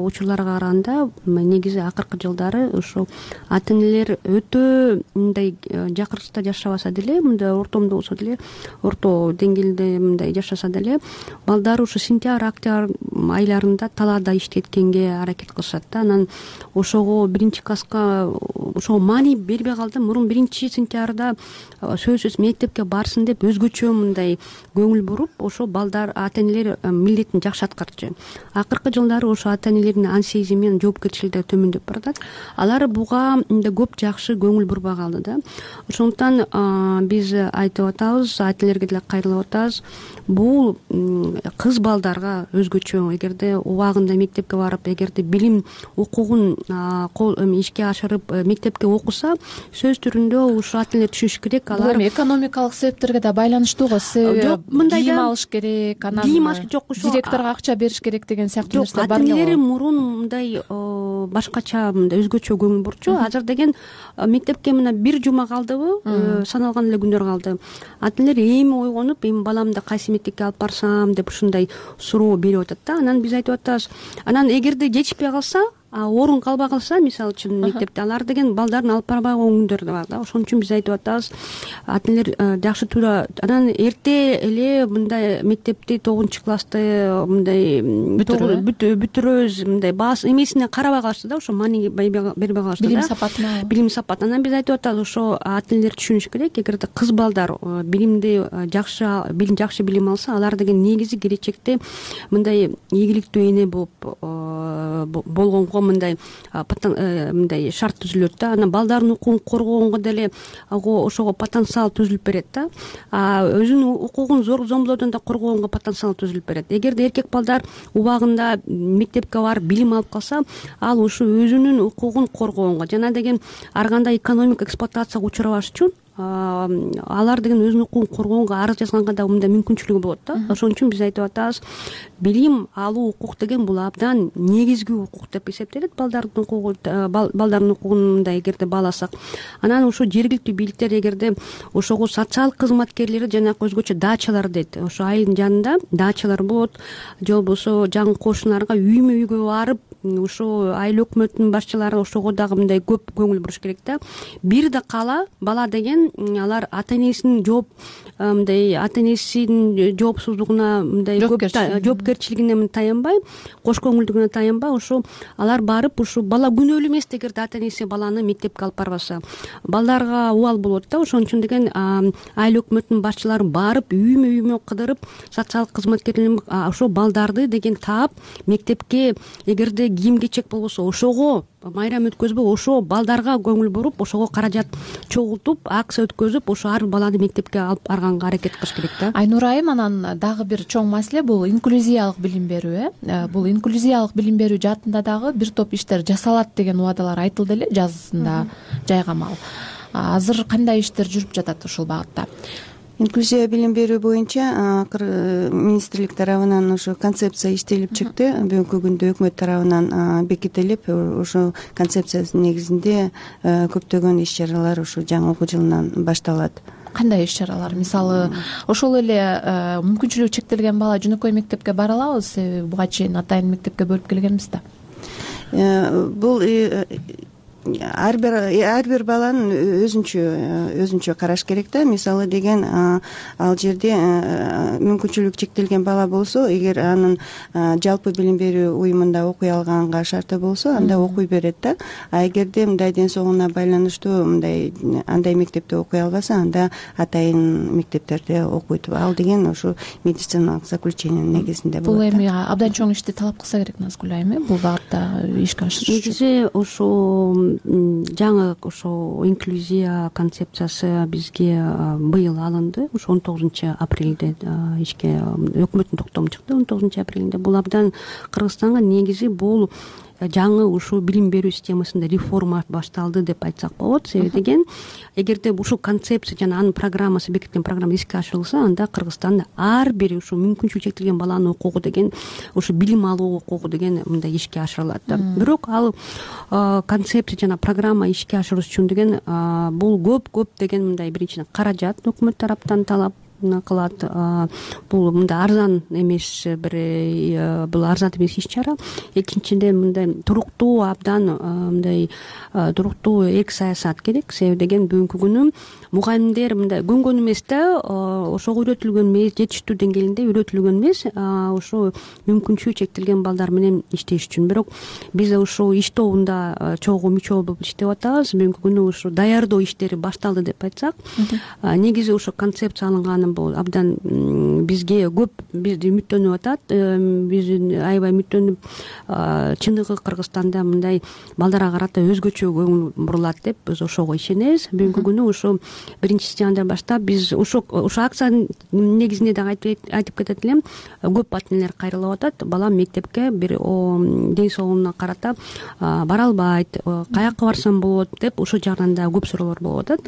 учурларга караганда негизи акыркы жылдары ошо ата энелер өтө мындай жакырчыкта жашабаса деле, мындай ортомдо болсо деле, орто деңгээлде мындай жашаса деле, балдар ушу сентябрь, октябрь айларында талаада иштеткенге аракет кылышат да. Анан ошого биринчи класска ошого маани бербей калды. Мурун биринчи сентябрда сөзсүз мектепке барсын деп өзгөчө мындай көңүл буруп, ошо балдар, ата энелер милдетин жакшы аткарчу. Акыркы жылдары ошо ата энелердин ан сезими менен жоопкерчилиги төмөндөп баратат. Алар буга көп жакшы көңүл бурбай калды да. Ошондуктан биз айтып атабыз, ата энелерге деле кайрылып атабыз. Бул кыз балдарга өзгөчө, эгерде убагында мектепке барып, эгерде билим укугун ишке ашырып мектепке окуса, сөз түрүндө ушу ата энелер түшүнүш керек. Алар бул эми экономикалык себептерге да байланыштууго, себеби кийим алыш керек, анан кийим алыш жок, ушу директорго акча бериш керек деген сыяктуу нерселер бар. Ата энелер мурун мындай башкача, мындай өзгөчө көңүл бурчу. Азыр деген мектепке мына бир жума калдыбы, саналган эле күндөр калды. Ата энелер эми ойгонуп, эми баламды кайсы мектепке алып барсам деп ушундай суроо берип атат да. Анан биз айтып атабыз, анан эгерде жетишпей калса, орун калбай калса, мисалы үчүн мектепте, алар деген балдарын алып барбай койгон күндөр да бар да. Ошон үчүн биз айтып атабыз, ата энелер жакшы туура, анан эрте эле мындай мектепти тогузунчу классты мындай бүтүрөбүз, мындай баас эмесине карабай калышты да, ошо маани бербей калышты да. Билим сапатына. Билим сапат. Анан биз айтып атабыз, ошо ата энелер түшүнүш керек, эгерде кыз балдар билимди жакшы, билим жакшы билим алса, алар деген негизи келечекте мындай ийгиликтүү эне болуп болгонго мындай мындай шарт түзүлөт да. Анан балдардын укугун коргогонго деле ошого потенциал түзүлүп берет да. Өзүнүн укугун зомбулоодон да коргогонго потенциал түзүлүп берет. Эгерде эркек балдар убагында мектепке барып билим алып калса, ал ушу өзүнүн укугун коргогонго жана деген ар кандай экономик эксплуатацияга учурабаш үчүн алар деген өзүнүн укугун коргогонго арыз жазганга да мындай мүмкүнчүлүгү болот да. Ошон үчүн биз айтып атабыз, билим алуу укук деген бул абдан негизги укук деп эсептелет. Балдардын укугу, балдардын укугун мындай эгерде бааласак, анан ошо жергиликтүү бийликтер эгерде ошого социалдык кызматкерлери жанагы өзгөчө дачалар дейт. Ошо айылдын жанында дачалар болот, же болбосо жаңы кошуналарга үймө үйгө барып, ошо айыл өкмөтүнүн башчылары ошого дагы мындай көп көңүл буруш керек да. Бир да кала бала деген алар ата энесинин жооп мындай ата энесинин жоопсуздугуна мындай көп жоопкерчилигине таянбай, кош көңүлдүгүнө таянбай, ошо алар барып, ушу бала күнөөлүү эмес эгерде ата энеси баланы мектепке алып барбаса. Балдарга убал болот да. Ошон үчүн деген айыл өкмөтүнүн башчылары барып, үймө үймө кыдырып, социалдык кызматкерлер ошо балдарды деген таап мектепке, эгерде кийим кечек болбосо ошого майрам өткөзбөй, ошо балдарга көңүл буруп, ошого каражат чогултуп, акция өткөзүп, ошо ар баланы мектепке алып барганга аракет кылыш керек да. Айнура айым, анан дагы бир чоң маселе бул инклюзиялык билим берүү. Э бул инклюзиялык билим берүү жаатында дагы бир топ иштер жасалат деген убадалар айтылды эле жазында жайгамал. Азыр кандай иштер жүрүп жатат ушул багытта? Инклюзия билим берүү боюнча министрлик тарабынан ошо концепция иштелип чыкты. Бүгүнкү күндө өкмөт тарабынан бекитилип, ошо концепциянын негизинде көптөгөн иш чаралар ошо жаңы окуу жылынан башталат. Кандай иш чаралар? Мисалы, ошол эле мүмкүнчүлүгү чектелген бала жөнөкөй мектепке бара алабы? Себеби буга чейин атайын мектепке бөлүп келгенбиз да. Бул ар бир ар бир баланын өзүнчө өзүнчө караш керек да. Мисалы деген ал жерде мүмкүнчүлүгү чектелген бала болсо, эгер анын жалпы билим берүү уюмунда окуй алганга шарты болсо, анда окуй берет да. А эгерде мындай ден соолугуна байланыштуу мындай андай мектепте окуй албаса, анда атайын мектептерде окуйт. Ал деген ошо медициналык заключениянын негизинде болот. Бул эми абдан чоң ишти талап кылса керек, Назгүл айым, бул багытта ишке ашырыш үчүн. Негизи ошо жаңы ошо инклюзия концепциясы бизге быйыл алынды. Ошо он тогузунчу апрелде ишке өкмөттүн токтому чыкты. он тогузунчу апрелде бул абдан Кыргызстанга негизи бул жаңы ушул билим берүү системасында реформа башталды деп айтсак болот. Себеби деген, эгерде ушул концепция жана анын программасы, бекитилген программа иске ашырылса, анда Кыргызстанда ар бир ушул мүмкүнчүлүгү чектелген баланын укугу деген, ушул билим алуу укугу деген мындай ишке ашырылат да. Бирок ал концепция жана программа ишке ашырыш үчүн деген бул көп көп деген мындай биринчиден каражат өкмөт тараптан талап кылат. Бул мындай арзан эмес бир бул арзан эмес иш чара. Экинчиден мындай туруктуу, абдан мындай туруктуу эрк саясат керек. Себеби деген бүгүнкү күнү мугалимдер мындай көнгөн эмес да, ошого үйрөтүлгөн эмес, жетиштүү деңгээлинде үйрөтүлгөн эмес, ошо мүмкүнчүлүгү чектелген балдар менен иштеш үчүн. Бирок биз ушул иш тобунда чогуу мүчө болуп иштеп атабыз. Бүгүнкү күнү ушу даярдоо иштери башталды деп айтсак, негизи ошо концепция алынганы бул абдан бизге көп бизди үмүттөнүп атат. Биз аябай үмүттөнүп, чыныгы Кыргызстанда мындай балдарга карата өзгөчө көңүл бурулат деп биз ошого ишенебиз. Бүгүнкү күнү ошо биринчи сентябрдан баштап биз ошо ошо акциянын негизинде дагы айтып кетет элем, көп ата энелер кайрылып атат. Балам мектепке бир ден соолугуна карата бара албайт, каяка барсам болот деп ошол жагынан да көп суроолор болуп атат.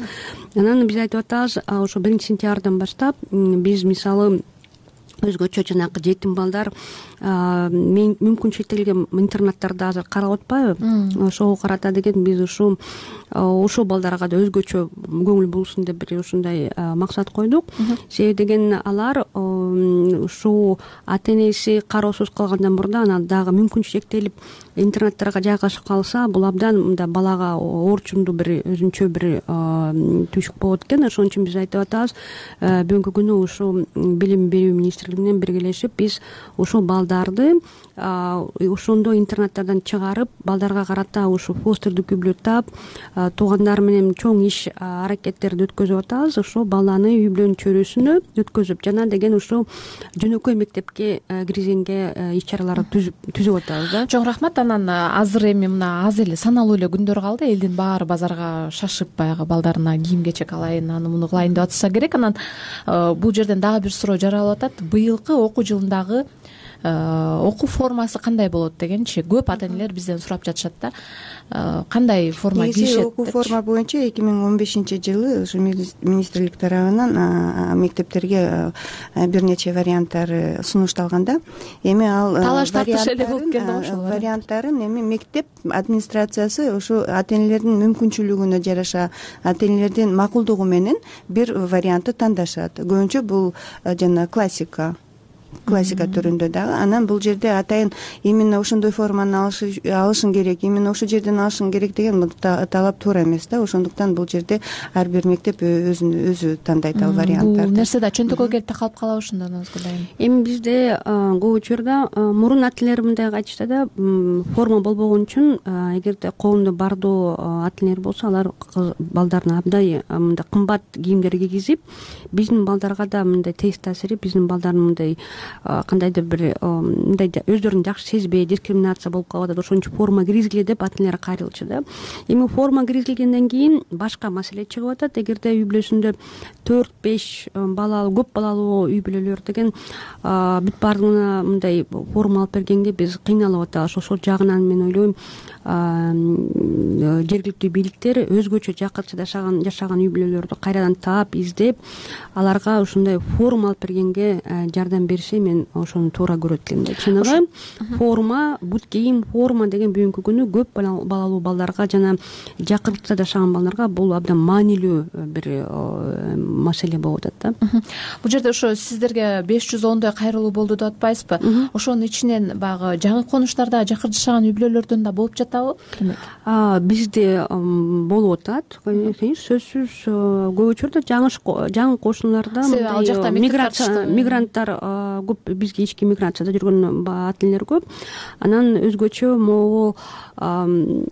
Анан биз айтып атабыз, ошо биринчи сентябрдан баштап биз мисалы өзгөчө жанагы жетим балдар мүмкүн чектелген интернаттарда азыр карап атпайбы, ошого карата деген биз ушу ошол балдарга да өзгөчө көңүл бурулсун деп бир ушундай максат койдук. Себеби деген алар ушул ата энеси кароосуз калгандан мурда анан дагы мүмкүнчүлүгү чектелип интернаттарга жайгашып калса, бул абдан мындай балага оорчундуу бир өзүнчө бир түшүк болот экен. Ошон үчүн биз айтып атабыз, бүгүнкү күнү ушул билим берүү министрлиги менен биргелешип биз ушул балдарды ошондой интернаттардан чыгарып, балдарга карата ушул постердик үй бүлө тап, туугандар менен чоң иш аракеттерди өткөзүп атабыз. Ошол баланы үй бүлөнүн чөйрөсүнө өткөзүп, жана деген ушул жөнөкөй мектепке киргизгенге иш чараларды түзүп атабыз да. Чоң рахмат. Анан азыр эми мына аз эле саналуу эле күндөр калды. Элдин баары базарга шашып баягы балдарына кийим кечек алайын, аны муну кылайын деп атса керек. Анан бул жерден дагы бир суроо жаралып атат. Быйылкы окуу жылындагы окуу формасы кандай болот дегенчи көп ата энелер бизден сурап жатышат да. Кандай форма кийишет? Окуу форма боюнча эки миң он бешинчи жылы ушу министрлик тарабынан мектептерге бир нече варианттар сунушталган да. Эми ал талаш тартыш эле болуп келди ошол варианттарын эми мектеп администрациясы ушу ата энелердин мүмкүнчүлүгүнө жараша, ата энелердин макулдугу менен бир вариантты тандашат. Көбүнчө бул жана классика классика түрүндө дагы. Анан бул жерде атайын именно ошондой форманы алышың керек, именно ошол жерден алышың керек деген талап туура эмес да. Ошондуктан бул жерде ар бир мектеп өзүн өзү тандайт ал варианттарды. Бул нерсе да чөнтөгкө келип такалып калабы ошондо, Назгүл айым? Эми бизде көп учурда мурун ата энелер мындай айтышты да, форма болбогон үчүн эгерде колунда бардоо ата энелер болсо, алар балдарына абдай мындай кымбат кийимдер кийгизип, биздин балдарга да мындай терс таасири, биздин балдардын мындай кандайдыр бир мындай өздөрүн жакшы сезбей, дискриминация болуп калып атат. Ошон үчүн форма киргизгиле деп ата энелер кайрылчу да. Эми форма киргизилгенден кийин башка маселе чыгып атат. Эгерде үй бүлөсүндө төрт беш балалуу, көп балалуу үй бүлөлөр деген бүт баардыгына мындай форма алып бергенге биз кыйналып атабыз. Ошол жагынан мен ойлойм, жергиликтүү бийликтер өзгөчө жакынча жашаган жашаган үй бүлөлөрдү кайрадан таап, издеп, аларга ушундай форма алып бергенге жардам бериши нерсе мен ошону туура көрөт элем да. Чыныгы форма, бут кийим, форма деген бүгүнкү күнү көп балалуу балдарга жана жакыртыкта жашаган балдарга бул абдан маанилүү бир маселе болуп атат да. Бул жерде ошо сиздерге беш жүз ондой кайрылуу болду деп атпайсызбы? Ошонун ичинен баягы жаңы конуштарда жакыр жашаган үй бүлөлөрдөн да болуп жатабы? Бизде болуп атат, сөзсүз. Көп учурда жаңы жаңы кошуналарда ал жакта мигранттар көп, бизге ички миграцияда жүргөн ата энелер көп. Анан өзгөчө могу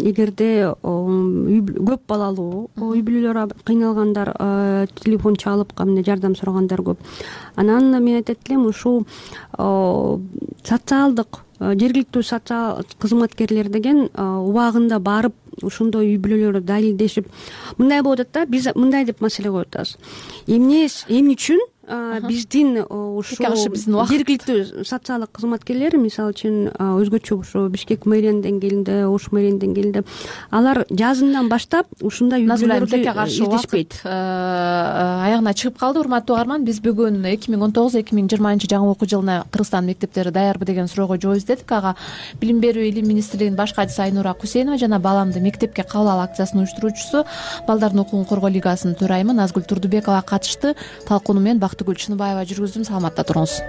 эгерде көп балалуу үй бүлөлөр кыйналгандар, телефон чалып кандай жардам сурагандар көп. Анан мен айтат элем, ушул социалдык жергиликтүү социал кызматкерлер деген убагында барып ошондой үй бүлөлөрдү далилдешип, мындай болуп атат да, биз мындай деп маселе коюп атабыз. Эмне эмне үчүн биздин ушул жергиликтүү социалдык кызматкерлер, мисалы үчүн өзгөчө ушу Бишкек мэриянын деңгээлинде, Ош мэриянын деңгээлинде алар жазындан баштап ушундай үй бүлөлөрдү издешпейт. Аягына чыгып калды. Урматтуу угарман, биз бүгүн эки миң он тогуз эки миң жыйырманчы жаңы окуу жылына Кыргызстан мектептери даярбы деген суроого жооп издедик. Ага Билим берүү илим министрлигинин баш катчысы Айнура Кусейнова жана Баламды мектепке кабыл ал акциясынын уюштуруучусу, Балдардын укугун коргоо лигасынын төрайымы Назгүл Турдубекова катышты. Талкууну мен Бактыгүл Чыныбаева жүргүздүм. Саламатта туруңуз.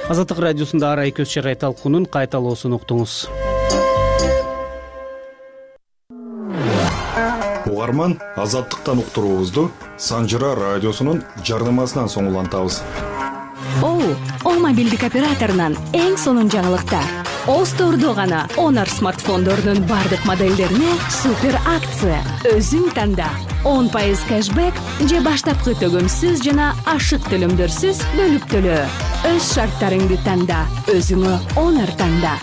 Азаттык радиосунда Арай көз чарай талкуунун кайталоосун уктуңуз. Угарман, Азаттыктан уктуруубузду Санжыра радиосунун жарнамасынан соң улантабыз. О, О мобилдик операторунан эң сонун жаңылыктар. Остордо гана Honor смартфондорунун бардык моделдерине супер акция. Өзүң танда. он пайыз кэшбэк же баштапкы төгөмсүз жана ашык төлөмдөрсүз бөлүп төлөө. Өз шарттарыңды танда, өзүңө Honor танда.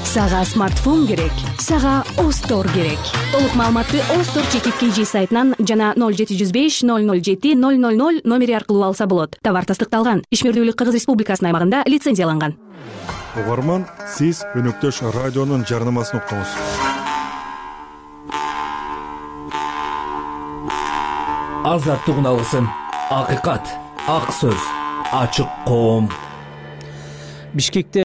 Сага смартфон керек, сага Остор керек. Толук маалыматты Остор чекит kg сайтынан жана ноль жети жүз беш ноль ноль жети ноль ноль ноль номери аркылуу алса болот. Товар тастыкталган, ишмердүүлүк Кыргыз Республикасынын аймагында лицензияланган. Угарман, сиз өнөктөш радионун жарнамасын уктуңуз. Азаттык алгысын, акыйкат, ак сөз, ачык коом. Бишкекте